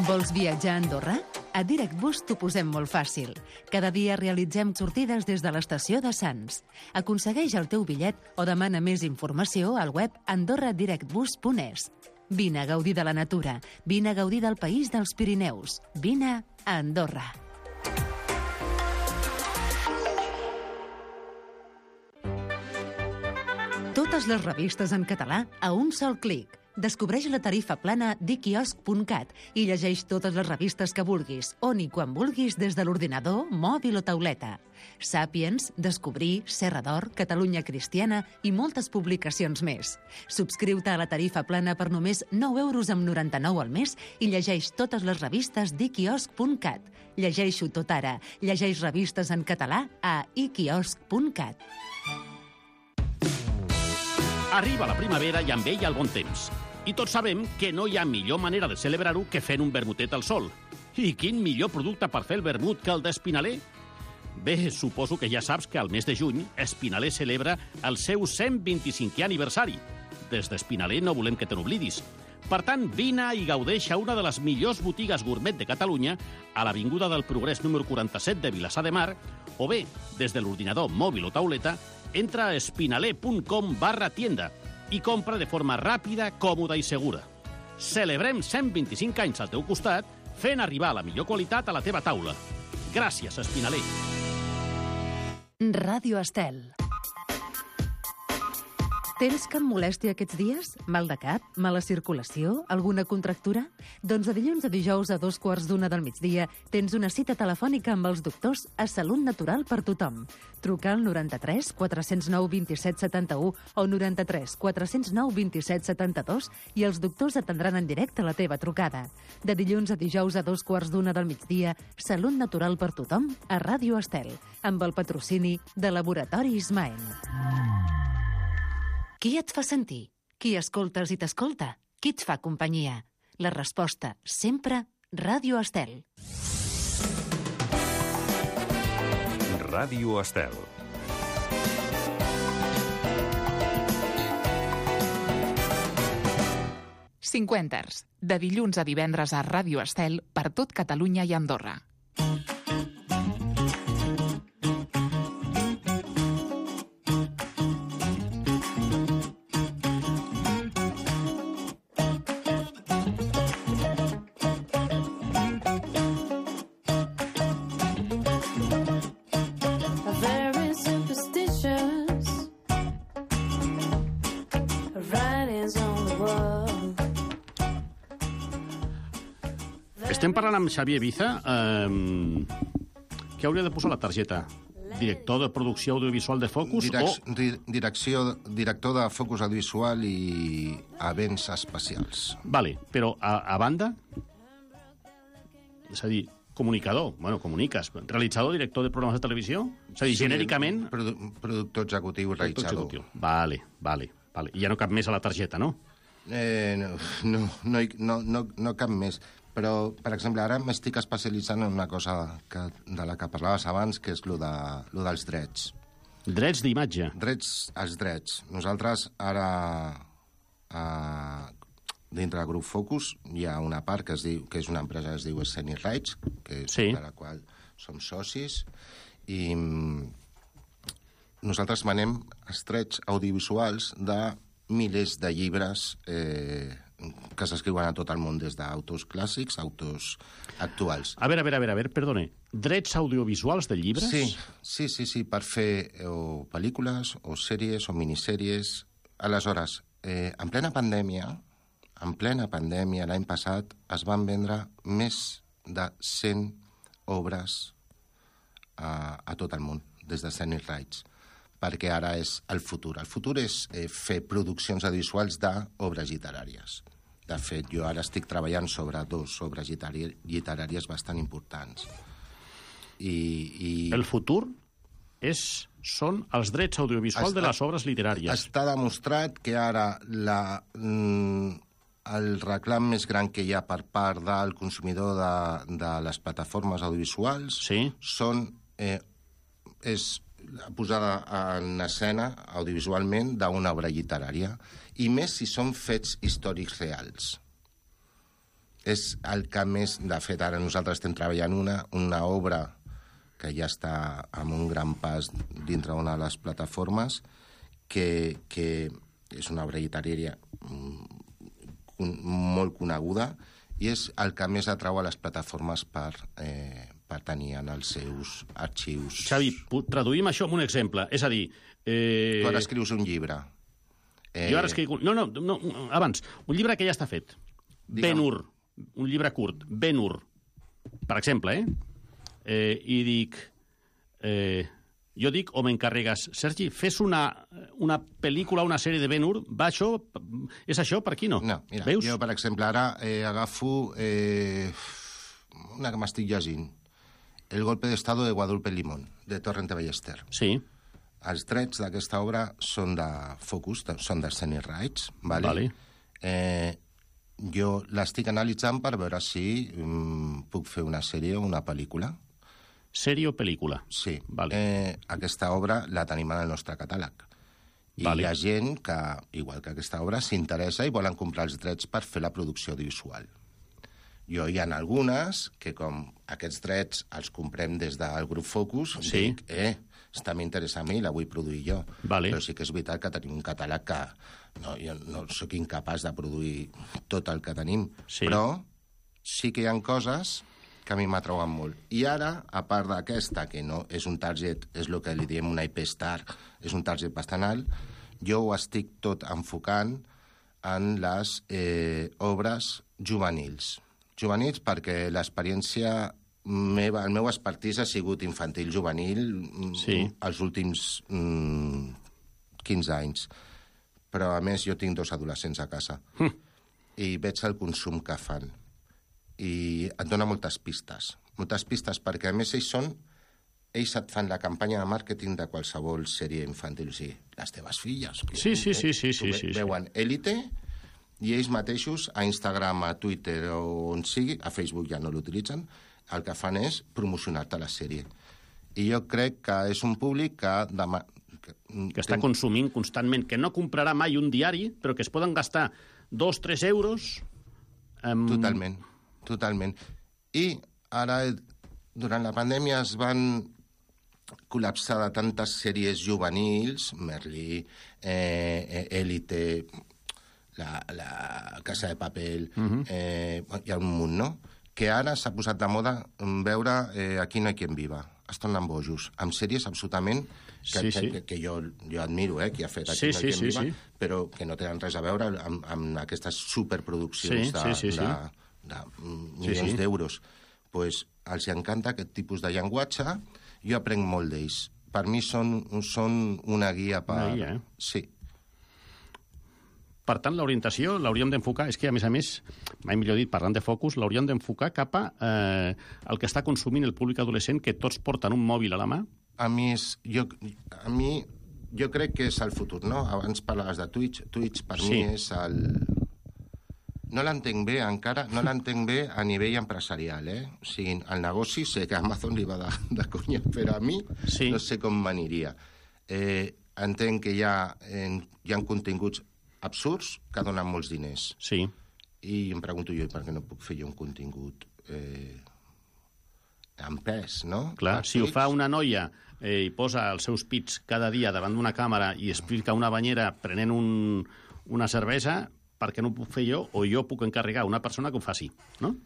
Vols viatjar a Andorra? A DirectBus t'ho posem molt fàcil. Cada dia realitzem sortides des de l'estació de Sants. Aconsegueix el teu bitllet o demana més informació al web andorradirectbus.es. Vine a gaudir de la natura, vine a gaudir del país dels Pirineus, vine a Andorra. Totes les revistes en català a un sol clic. Descobreix la tarifa plana dquiosc.cat i llegeix totes les revistes que vulguis, on i quan vulguis des de l'ordinador, mòbil o tauleta. Sàpiens, Descobrir, Serra d'Or, Catalunya Cristiana i moltes publicacions més. Subscriu-te a la tarifa plana per només 9,99 € al mes i llegeix totes les revistes dquiosc.cat. Llegeixo tot ara. Llegeix revistes en català a iquiosc.cat. Arriba la primavera i amb ella el bon temps. I tots sabem que no hi ha millor manera de celebrar-ho que fent un vermutet al sol. I quin millor producte per fer el vermut que el d'Espinaler? Bé, suposo que ja saps que al mes de juny Espinaler celebra el seu 125è aniversari. Des d'Espinaler no volem que te n'oblidis. Per tant, vine i gaudeix a una de les millors botigues gourmet de Catalunya, a l'Avinguda del Progrés número 47 de Vilassar de Mar, o bé, des de l'ordinador mòbil o tauleta, entra a espinaler.com/tienda i compra de forma ràpida, còmoda i segura. Celebrem 125 anys al teu costat, fent arribar la millor qualitat a la teva taula. Gràcies, Espinaler. Ràdio Estel. Tens cap molèstia aquests dies? Mal de cap? Mala circulació? Alguna contractura? Doncs de dilluns a dijous a 2:15 del migdia tens una cita telefònica amb els doctors a Salut Natural per tothom. Truca al 93 409 27 71 o 93 409 27 72 i els doctors atendran en directe la teva trucada. De dilluns a dijous a 2:15 del migdia, Salut Natural per tothom a Ràdio Estel, amb el patrocini de Laboratori Ismael. Qui et fa sentir? Qui escoltes i t'escolta? Qui et fa companyia? La resposta, sempre, Ràdio Estel. Ràdio Estel. Cinquenters, de dilluns a divendres a Ràdio Estel per tot Catalunya i Andorra. Estem parlant amb Xavier Biza. Què hauria de posar la targeta? Director de producció audiovisual de Focus Director de Focus Audiovisual i events especials. Vale, però a banda? És a dir, comunicador. Bueno, comuniques. Realitzador, director de programes de televisió? És a dir, genèricament... Productor executiu, realitzador. Vale. I ja no cap més a la targeta, no? No cap més. Però, per exemple, ara m'estic especialitzant en una cosa de la que parlaves abans, que és lo dels drets. Drets d'imatge? Els drets. Nosaltres ara, dintre del grup Focus, hi ha una part que és una empresa que es diu Scenic Rights, que és de la qual som socis, i nosaltres manem els drets audiovisuals de milers de llibres que s'escriuen a tot el món, des d'autors clàssics a autors actuals. A veure, perdone. Drets audiovisuals de llibres? Sí, per fer o pel·lícules, o sèries, o minissèries. Aleshores, en plena pandèmia, l'any passat, es van vendre més de 100 obres a tot el món, des de Scenic Rights, perquè ara és el futur. El futur és fer produccions audiovisuals d'obres literàries. De fet, jo ara estic treballant sobre 2 obres literàries bastant importants. El futur són els drets audiovisuals de les obres literàries. Està demostrat que ara el reclam més gran que hi ha per part del consumidor de les plataformes audiovisuals és la posada en escena audiovisualment d'una obra literària, i més si són fets històrics reals. És el que més... De fet, ara nosaltres estem treballant una obra que ja està amb un gran pas dintre d'una de les plataformes, que és una obra literària molt coneguda, i és el que més atrau a les plataformes per tenir en els seus arxius. Xavi, traduïm això amb un exemple. És a dir... Tu ara escrius un llibre. Jo ara escric... No, abans. Un llibre que ja està fet. Ben-Hur. Un llibre curt. Ben-Hur. Per exemple, I dic... Jo dic, o m'encarregues, Sergi, fes una pel·lícula, una sèrie de Ben-Hur, va això? És això? Per aquí no? No, mira, veus? Jo, per exemple, ara agafo una que m'estic llegint, El golpe de estado de Guadalupe Limón, de Torrente Ballester. Sí. els drets d'aquesta obra són de Focus, són de Scenic Rights, vale? Jo l'estic analitzant per veure si puc fer una sèrie o una pel·lícula. Sèrie o pel·lícula? Sí. Vale. Aquesta obra la tenim en el nostre catàleg. I hi ha gent que, igual que aquesta obra, s'interessa i volen comprar els drets per fer la producció audiovisual. Hi ha algunes que, com aquests drets els comprem des del grup Focus, dic, està m'interessa a mi, la vull produir jo. Però sí que és veritat que tenim un catàleg que jo no sóc incapaç de produir tot el que tenim. Però sí que hi ha coses que a mi m'atrauen molt. I ara, a part d'aquesta, que no és un target, és el que li diem una IP star, és un target bastant alt, jo ho estic tot enfocant en les obres juvenils. Juvenils perquè l'experiència meva, el meu expertís ha sigut infantil-juvenil els últims 15 anys. Però, a més, jo tinc 2 adolescents a casa. I veig el consum que fan. I et dona moltes pistes. Moltes pistes perquè, a més, ells et fan la campanya de màrqueting de qualsevol sèrie infantil. O sigui, les teves filles. Sí. Veuen Élite i ells mateixos a Instagram, a Twitter o on sigui, a Facebook ja no l'utilitzen, el que fan és promocionar-te la sèrie. I jo crec que és un públic que està consumint constantment, que no comprarà mai un diari, però que es poden gastar 2-3 euros... Totalment. I ara, durant la pandèmia, es van col·lapsar de tantes sèries juvenils, Merlí, Élite, la Casa de Papel, hi ha un munt, no? Que ara s'ha posat de moda veure Aquí no hay quien viva. Es tornen bojos, amb sèries absolutament que jo admiro, qui ha fet Aquí no hay quien viva, però que no tenen res a veure amb aquestes superproduccions de milions d'euros. Doncs els encanta aquest tipus de llenguatge, jo aprenc molt d'ells. Per mi són una guia per... Una guia, Sí. Per tant, l'orientació l'hauríem d'enfocar, és que, a més, mai millor dit, parlant de Focus, l'hauríem d'enfocar cap a el que està consumint el públic adolescent, que tots porten un mòbil a la mà. Jo crec que és el futur, no? Abans parlaves de Twitch. Twitch, per mi, és el... No l'entenc bé encara, no l'entenc bé a nivell empresarial, O sigui, el negoci sé que a Amazon li va de conya, però a mi no sé com m'aniria. Entenc que hi ha continguts absurds que donen molts diners. Sí. I em pregunto jo, per què no puc fer jo un contingut en pes, no? Clar, si ho fa una noia i posa els seus pits cada dia davant d'una càmera i explica una banyera prenent una cervesa, per què no ho puc fer jo? O jo puc encarregar una persona que ho faci, no?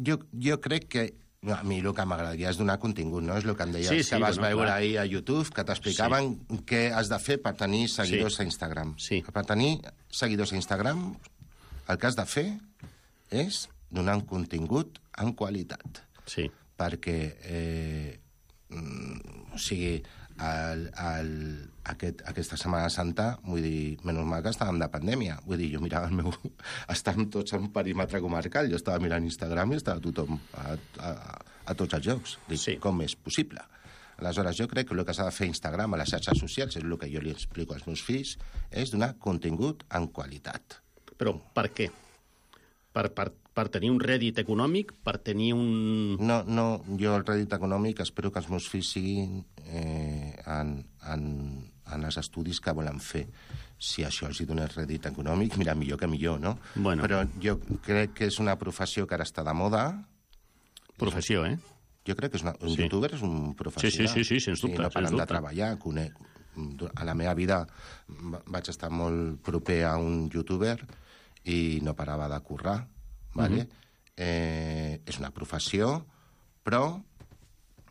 Jo crec que a mi el que m'agradaria és donar contingut, no? És el que em deies que vas veure ahir a YouTube, que t'explicaven què has de fer per tenir seguidors a Instagram. Per tenir seguidors a Instagram, el que has de fer és donar un contingut en qualitat. Sí. Perquè, o sigui, aquesta Setmana Santa, vull dir, menys mal que estàvem de pandèmia. Vull dir, jo mirava el meu... Estàvem tots en perímetre comarcal, jo estava mirant Instagram i estava tothom a tots els llocs. Dic, com és possible? Aleshores, jo crec que el que s'ha de fer Instagram a les xarxes socials, és el que jo li explico als meus fills, és donar contingut en qualitat. Però per què? Per tenir un rèdit econòmic? Per tenir un... No, jo el rèdit econòmic espero que els meus fills siguin en els estudis que volen fer. Si això els dona rèdit econòmic, mira, millor que millor, no? Bueno. Però jo crec que és una professió que ara està de moda. Professió, Jo crec que un youtuber és un professional. Sí, sens dubte. No paren de treballar, conec. A la meva vida vaig estar molt proper a un youtuber i no parava de currar. Vale? És una professió, però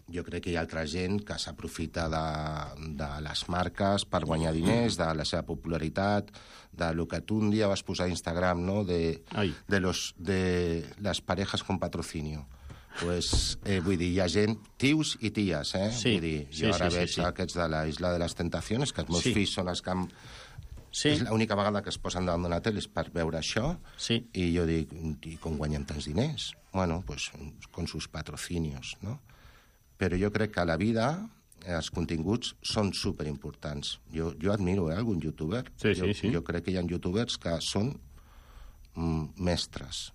jo crec que hi ha altra gent que s'aprofita de les marques per guanyar diners, de la seva popularitat, de lo que tu un dia vas posar a Instagram, no? de les parejas con patrocinio. Pues, vull dir, hi ha gent, tios i ties, Sí, vull dir, jo ara veig aquests de la Isla de les Tentaciones, que els meus fills són els que és l'única vegada que es posen davant d'una tele és per veure això, i jo dic, i com guanyem tants diners? Bueno, pues con sus patrocinios, no? Però jo crec que la vida els continguts són superimportants. Jo admiro algun youtuber. Sí. Jo crec que hi ha youtubers que són mestres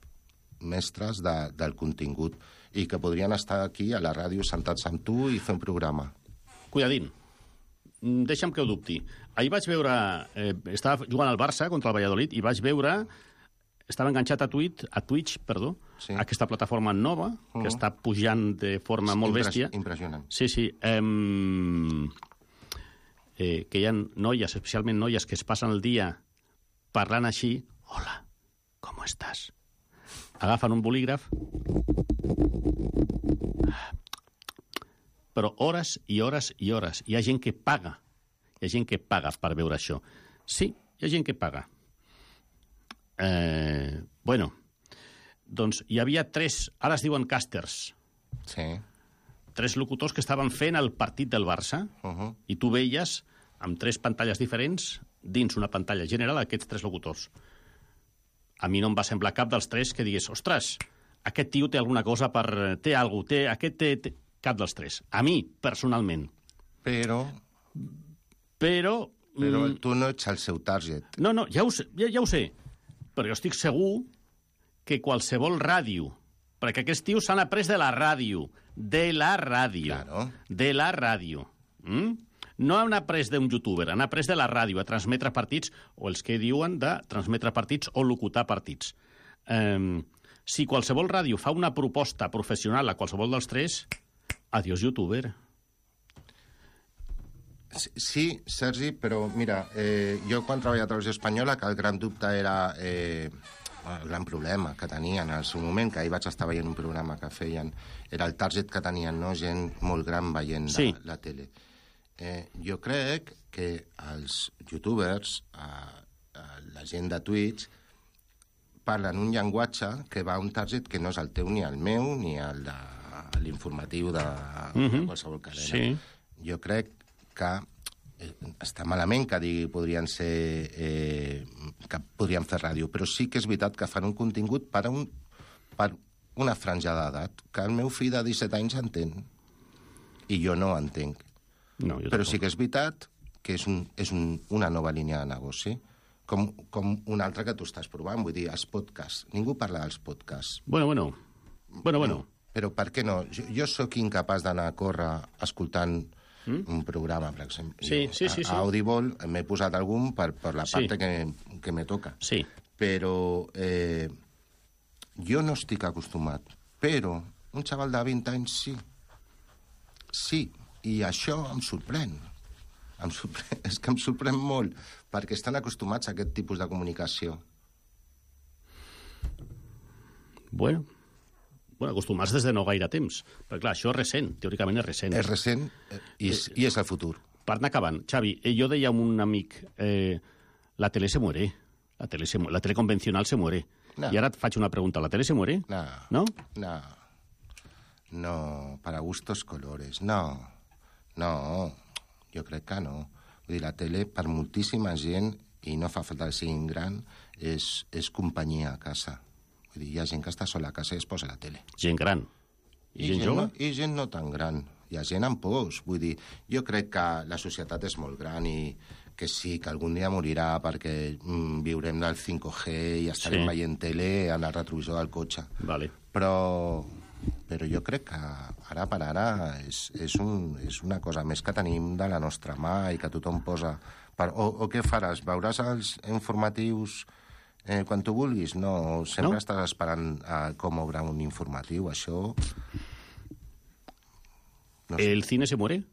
del contingut i que podrien estar aquí a la ràdio sentats amb tu i fer un programa. Cuidadín, deixa'm que ho dubti. Ahir vaig veure... estava jugant al Barça contra el Valladolid i vaig veure... Estava enganxat a Twitch, sí. Aquesta plataforma nova, que està pujant de forma molt bèstia. Impressionant. Sí. Que hi ha noies, especialment noies, que es passen el dia parlant així. Hola, ¿cómo estás? Agafen un bolígraf. Però hores i hores i hores. Hi ha gent que paga. Hi ha gent que paga per veure això. Sí, hi ha gent que paga. Bueno, doncs hi havia 3, ara es diuen càsters. Sí. 3 locutors que estaven fent el partit del Barça i tu veies amb 3 pantalles diferents dins una pantalla general aquests 3 locutors. A mi no em va semblar cap dels 3 que digués, ostres, aquest tio té alguna cosa per... té alguna cosa, aquest té... Cap dels 3. A mi, personalment. Però tu no ets el seu target. No, ja ho sé. Però jo estic segur que qualsevol ràdio, perquè aquests tios s'han après de la ràdio, Claro. De la ràdio. No han après d'un youtuber, han après de la ràdio a transmetre partits, o els que diuen de transmetre partits o locutar partits. Si qualsevol ràdio fa una proposta professional a qualsevol dels 3, adiós youtuber. Sí, Sergi, però mira, jo quan treballava a Televisió Espanyola, que el gran dubte era el gran problema que tenien en el seu moment, que ahir vaig estar veient un programa que feien, era el target que tenien, no? Gent molt gran veient la tele. Jo crec que els youtubers, la gent de Twitch, parlen un llenguatge que va a un target que no és el teu ni el meu, ni el de l'informatiu de qualsevol cadena. Sí. Jo crec que està malament que digui que podrien fer ràdio, però sí que és veritat que fan un contingut per una franja d'edat, que el meu fill de 17 anys entén, i jo no entenc. No, però sí que és veritat que és una nova línia de negoci, com una altra que tu estàs provant, vull dir, els podcasts. Ningú parla dels podcasts. Bueno. Però per què no? Jo sóc incapaç d'anar a córrer escoltant un programa, per exemple. Sí. A Audible m'he posat algun per la part que me toca. Sí. Però jo no estic acostumat. Però un xaval de 20 anys sí. Sí, i això em sorprèn. És que em sorprèn molt, perquè estan acostumats a aquest tipus de comunicació. Bueno, acostumats des de no gaire temps. Perquè, clar, això és recent, teòricament és recent. És recent i és el futur. Per anar acabant, Xavi, jo deia a un amic, la tele se muere, la tele convencional se muere. No. I ara et faig una pregunta, ¿la tele se muere? No, para gustos colores, no, jo crec que no. Vull dir, la tele, per moltíssima gent, i no fa falta que siguin gran, és companyia a casa. Vull dir, hi ha gent que està sola a casa i es posa la tele. Gent gran. I gent jove? I gent no tan gran. Hi ha gent amb pors. Vull dir, jo crec que la societat és molt gran i que sí, que algun dia morirà perquè viurem del 5G i estarem veient tele en el retrovisor del cotxe. Vale. Però jo crec que ara per ara és una cosa més que tenim de la nostra mà i que tothom posa... O què faràs? Veuràs els informatius quan tu vulguis? No, sempre estàs esperant com obre un informatiu, això... No sé. ¿El cine se muere?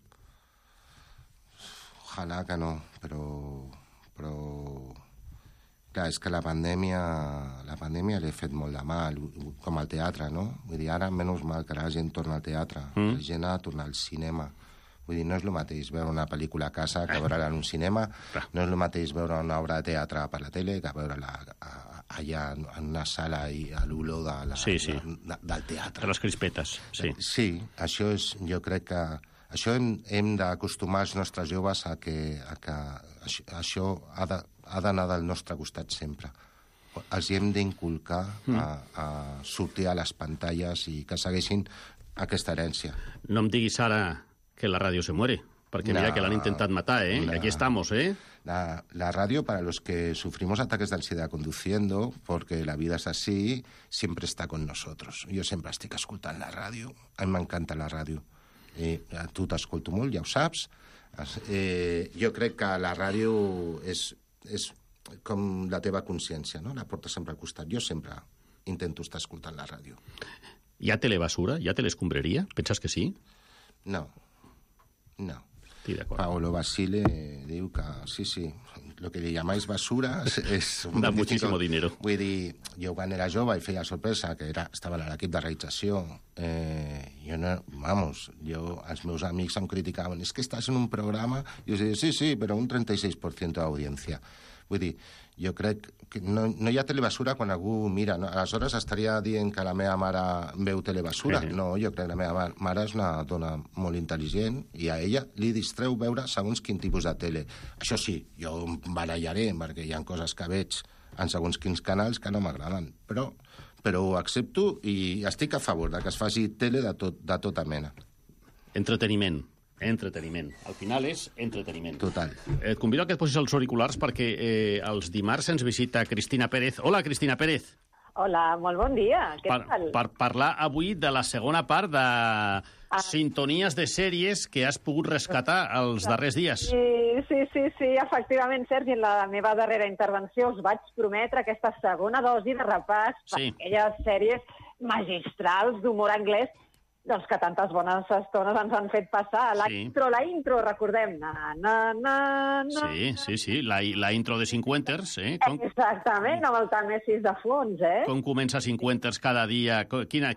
Ojalà que no, però... Clar, és que la pandèmia li ha fet molt de mal, com al teatre, no? Vull dir, ara, menys mal que la gent torna al teatre, la gent ha de tornar al cinema. Vull dir, no és el mateix veure una pel·lícula a casa que veure-la en un cinema, no és el mateix veure una obra de teatre per la tele que veure-la allà en una sala i a l'olor del teatre. De les crispetes, sí. Sí, això és... Jo crec que... Això hem d'acostumar els nostres joves a que això ha d'anar del nostre costat sempre. Els hem d'inculcar a sortir a les pantalles i que segueixin aquesta herència. No em diguis ara que la radio se muere. Porque mira que l'han intentat matar, ¿eh? Y aquí estamos, ¿eh? La radio, para los que sufrimos ataques de ansiedad conduciendo, porque la vida es así, siempre está con nosotros. Jo sempre estic escoltant la ràdio. A mi m'encanta la ràdio. Tu t'escolto molt, ja ho saps. Jo crec que la ràdio és com la teva consciència, no? La portes sempre al costat. Jo sempre intento estar escoltant la ràdio. Hi ha telebasura? Hi ha telescombreria? Penses que sí? No. Paolo Basile diu que sí, lo que li llamáis basura és da muchísimo dinero. Vull dir, jo quan era jove i feia sorpresa, que estava a l'equip de realització, els meus amics em criticaven, és que estàs en un programa, i jo deia, sí, però un 36% d'audiència. Vull dir, jo crec que no hi ha telebasura quan algú mira, no? Aleshores estaria dient que la meva mare veu telebasura. No, jo crec que la meva mare és una dona molt intel·ligent i a ella li distreu veure segons quin tipus de tele. Això sí, jo em barallaré perquè hi ha coses que veig en segons quins canals que no m'agraden, però ho accepto i estic a favor de que es faci tele de tota mena. Entreteniment. Al final és entreteniment. Total. Et convido a que et posis els auriculars perquè els dimarts ens visita Cristina Pérez. Hola, Cristina Pérez. Hola, molt bon dia. Què tal? Per parlar avui de la segona part de sintonies de sèries que has pogut rescatar els darrers dies. Sí, efectivament, Sergi, en la meva darrera intervenció us vaig prometre aquesta segona dosi de repàs per aquelles sèries magistrals d'humor anglès doncs que tantes bones estones ens han fet passar. La intro, recordem. Sí, la intro de Cinquenters. Exactament, amb el Tàmesis de fons, Com comença Cinquenters cada dia? Quina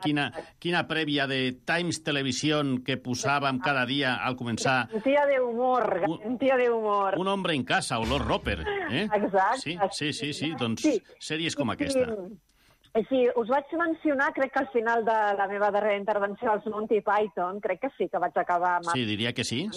prèvia de Times Television que posàvem cada dia al començar? Garantia de humor. Un hombre en casa, olor Roper. Exacte. Sí, doncs sèries com aquesta. Sí, us vaig mencionar, crec que al final de la meva darrera intervenció, els Monty Python, crec que sí que vaig acabar amb... Sí, diria que sí.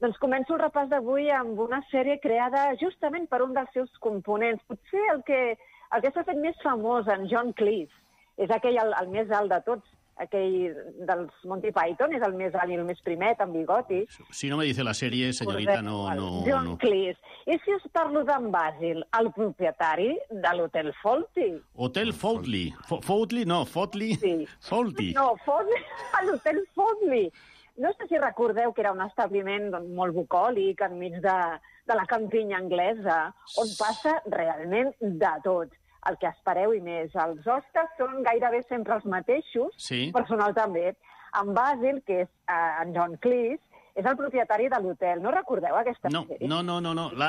Doncs començo el repàs d'avui amb una sèrie creada justament per un dels seus components. Potser el que s'ha fet més famós, en John Cleese. És aquell el més alt de tots. Aquell dels Monty Python és el més alt i el més primet, amb bigoti. Si no me dice la sèrie, senyorita, no... John Cleese. I si us parlo d'en Basil, el propietari de l'Hotel Fawlty? Hotel Fawlty. Fawlty, no, Fawlty. Fawlty. No, Fawlty, l'Hotel Fawlty. No sé si recordeu que era un establiment molt bucòlic enmig de la campinya anglesa, on passa realment de tot. El que espereu i més. Els hostes són gairebé sempre els mateixos, personal també. En Basil, que és en John Cleese, és el propietari de l'hotel. No recordeu aquesta sèrie? No.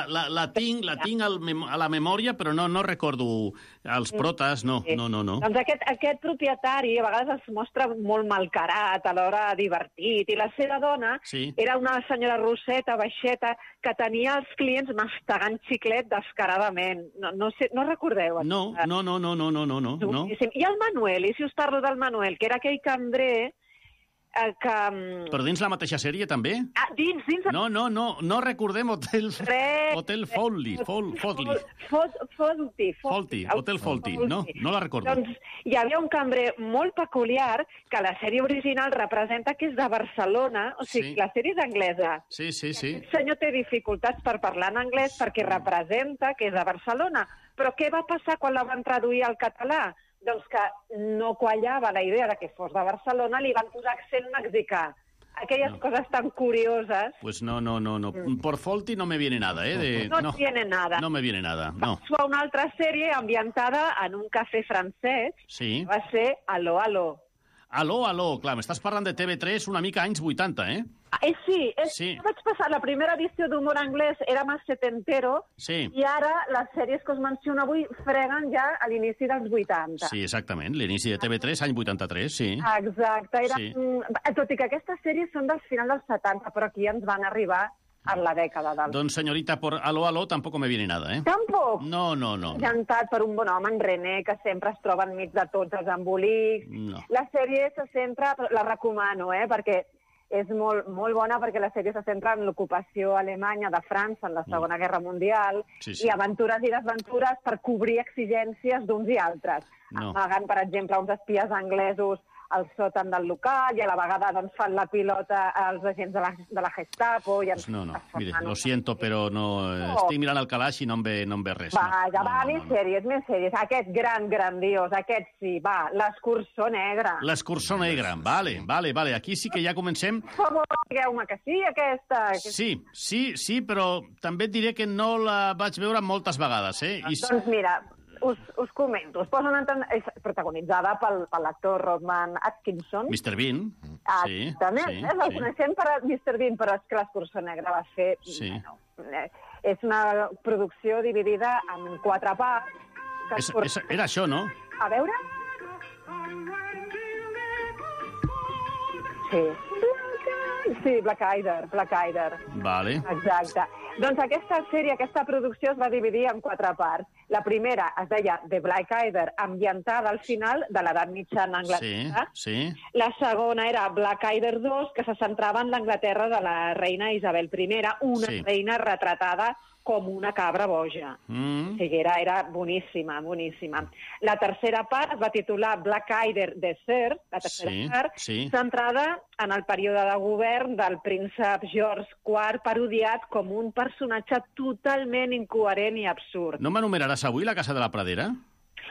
La tinc a la memòria, però no recordo els protes, no. Doncs aquest propietari a vegades es mostra molt malcarat, alhora divertit, i la seva dona era una senyora rosseta, baixeta, que tenia els clients mastegant xiclet descaradament. No recordeu? No. I el Manuel, i si us parlo del Manuel, que era aquell cambrer Però dins la mateixa sèrie, també? Dins... No recordem Hotel Fawlty. Hotel Fawlty, no la recordo. Doncs hi havia un cambrer molt peculiar que la sèrie original representa que és de Barcelona, o sigui, la sèrie és anglesa. Sí. El senyor té dificultats per parlar en anglès perquè representa que és de Barcelona. Però què va passar quan la van traduir al català? Doncs que no quallava la idea de que fos de Barcelona, li van posar accent mexicà. Aquelles coses tan curioses... Pues no. Por Fawlty no me viene nada, No tiene nada. No me viene nada, no. Va una altra sèrie ambientada en un cafè francès. Sí. Va ser Aló, Aló. Aló, clar, m'estàs parlant de TV3 una mica anys 80, Sí. Vaig passar la primera edició d'humor anglès, era més setentero, i ara les sèries que us menciono avui freguen ja a l'inici dels 80. Sí, exactament, l'inici de TV3, any 83, sí. Exacte. Tot i que aquestes sèries són del final dels 70, però aquí ens van arribar en la dècada del... Doncs, senyorita, por Aló, tampoco me viene nada, Tampoc? No. Llantat per un bon home, en René, que sempre es troba enmig de tots els embolics. No. La sèrie se centra... La recomano, perquè és molt bona, perquè la sèrie se centra en l'ocupació alemanya de França en la Segona Guerra Mundial i aventures i desventures per cobrir exigències d'uns i altres. Amagant, per exemple, uns espies anglesos al sòtan del local i a la vegada doncs, fan la pilota als agents de la Gestapo. I pues no, mire, lo siento, però no. Estic mirant el calaix i no em ve res. Més sèries. Aquest grandiós, aquest sí, va, l'Escurçó Negre. L'Escurçó Negre, vale. Aquí sí que ja comencem. Per favor, digueu-me que sí, aquesta. Sí, però també et diré que no la vaig veure moltes vegades, Doncs mira, us comento. És protagonitzada per l'actor Rowan Atkinson. Mr. Bean. Exactament. El coneixem per Mr. Bean, però és que l'Escurçó Negre va fer... Sí. És una producció dividida en 4 parts. Era això, no? A veure... Sí, Black Eyder. Vale. Exacte. Doncs aquesta producció es va dividir en 4 parts. La primera es deia The Black Eyder, ambientada al final de l'edat mitjana Anglaterra. Sí. La segona era Black Eyder 2, que se centrava en l'Anglaterra de la reina Isabel I, una reina retratada com una cabra boja. O sigui, era boníssima. La tercera part es va titular Black Eyder Desert, la tercera part, centrada en el període de govern del príncep George IV, parodiat com un personatge totalment incoherent i absurd. No m'enumeraràs avui la Casa de la Pradera?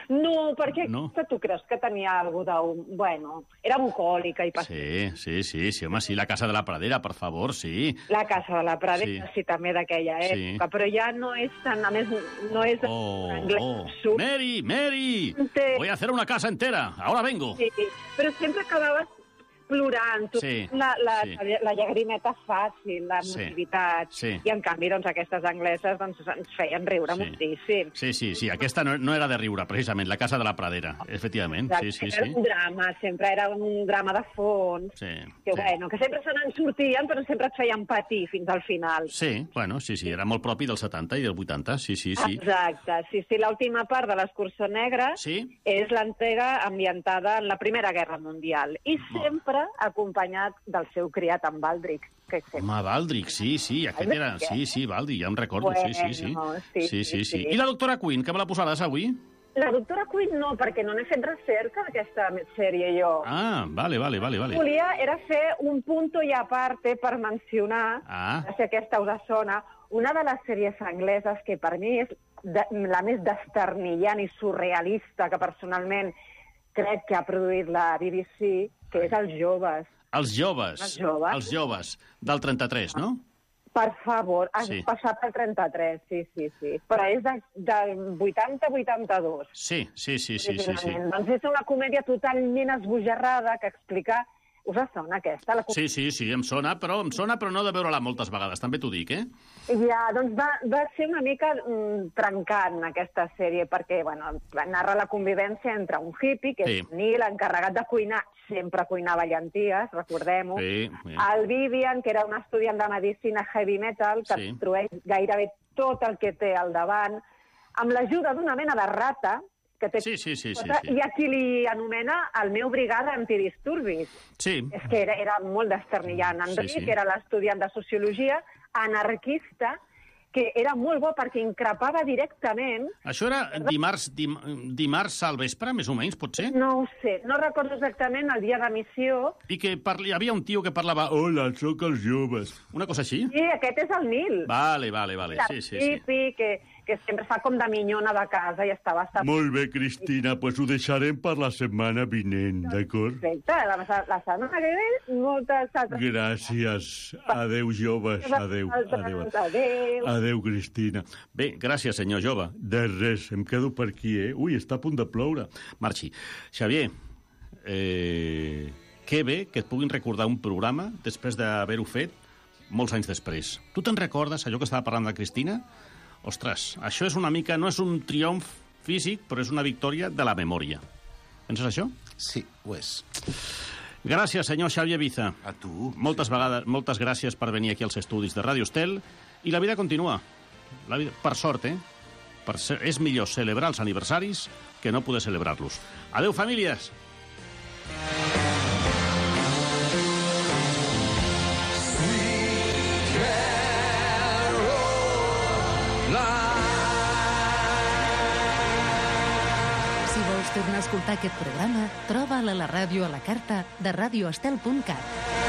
No, perquè tu creus que tenia alguna cosa Bueno, era bucòlica i Sí, home, sí, la Casa de la Pradera, per favor, sí. La Casa de la Pradera, sí també d'aquella època, però ja no és tan... A més, no és... Mary! Voy a hacer una casa entera, ahora vengo. Sí, però sempre acabaves plorant, la llagrimeta fàcil, la emotivitat, i en canvi aquestes angleses ens feien riure moltíssim. Sí, aquesta no era de riure, precisament, la Casa de la Pradera, efectivament. Era un drama, sempre era un drama de fons, que sempre se n'en sortien, però sempre et feien patir fins al final. Sí, era molt propi dels 70 i del 80, sí. Exacte, l'última part de l'Escurçó Negre és l'entrega ambientada en la Primera Guerra Mundial, i sempre acompanyat del seu criat, en Baldric. Home, Baldric, sí, aquest era... Sí, Baldric, ja em recordo, sí. I la doctora Quinn, que me la posaràs avui? La doctora Quinn no, perquè no n'he fet recerca d'aquesta sèrie jo. Vale. Volia era fer un punto i aparte per mencionar, si aquesta us sona, una de les sèries angleses que per mi és la més desternillant i surrealista que personalment crec que ha produït la BBC, que és Els Joves. Els Joves, del 33, no? Per favor, has passat el 33, sí. Però és del 80-82. Sí. Doncs és una comèdia totalment esbojarrada que explica... Us sona aquesta? Sí, em sona, però no de veure-la moltes vegades, també t'ho dic, Ja, doncs va ser una mica trencant aquesta sèrie, perquè narra la convivència entre un hippie, que és Neil, encarregat de cuinar, sempre cuinava llenties, recordem-ho, el Vivian, que era un estudiant de medicina heavy metal, que destrueix gairebé tot el que té al davant, amb l'ajuda d'una mena de rata, que té i a qui li anomena el meu brigada antidisturbis. Sí. És que era molt desternillant. Enric era l'estudiant de sociologia, anarquista, que era molt bo perquè increpava directament... Això era dimarts al vespre, més o menys, pot ser? No ho sé, no recordo exactament el dia d'emissió. I que hi havia un tio que parlava hola, sóc Els Joves. Una cosa així? Sí, aquest és el Nil. Vale. Sí. Que sempre fa com de minyona de casa i està bastant... Molt bé, Cristina, doncs ho deixarem per la setmana vinent, d'acord? Perfecte, la setmana que ve, moltes altres... Gràcies. Adéu, joves. Adéu. Adéu, Cristina. Bé, gràcies, senyor jove. De res, em quedo per aquí, Ui, està a punt de ploure. Marxi. Xavier, que bé que et puguin recordar un programa després d'haver-ho fet molts anys després. Tu te'n recordes, allò que estava parlant de Cristina? Ostres, això és una mica... No és un triomf físic, però és una victòria de la memòria. Penses això? Sí, ho és. Gràcies, senyor Xavier Biza. A tu. Moltes gràcies per venir aquí als estudis de Ràdio Estel. I la vida continua. La vida, per sort, és millor celebrar els aniversaris que no poder celebrar-los. Adéu, famílies! Si vols tornar a escoltar aquest programa, troba'l a la ràdio a la carta de radioestel.cat.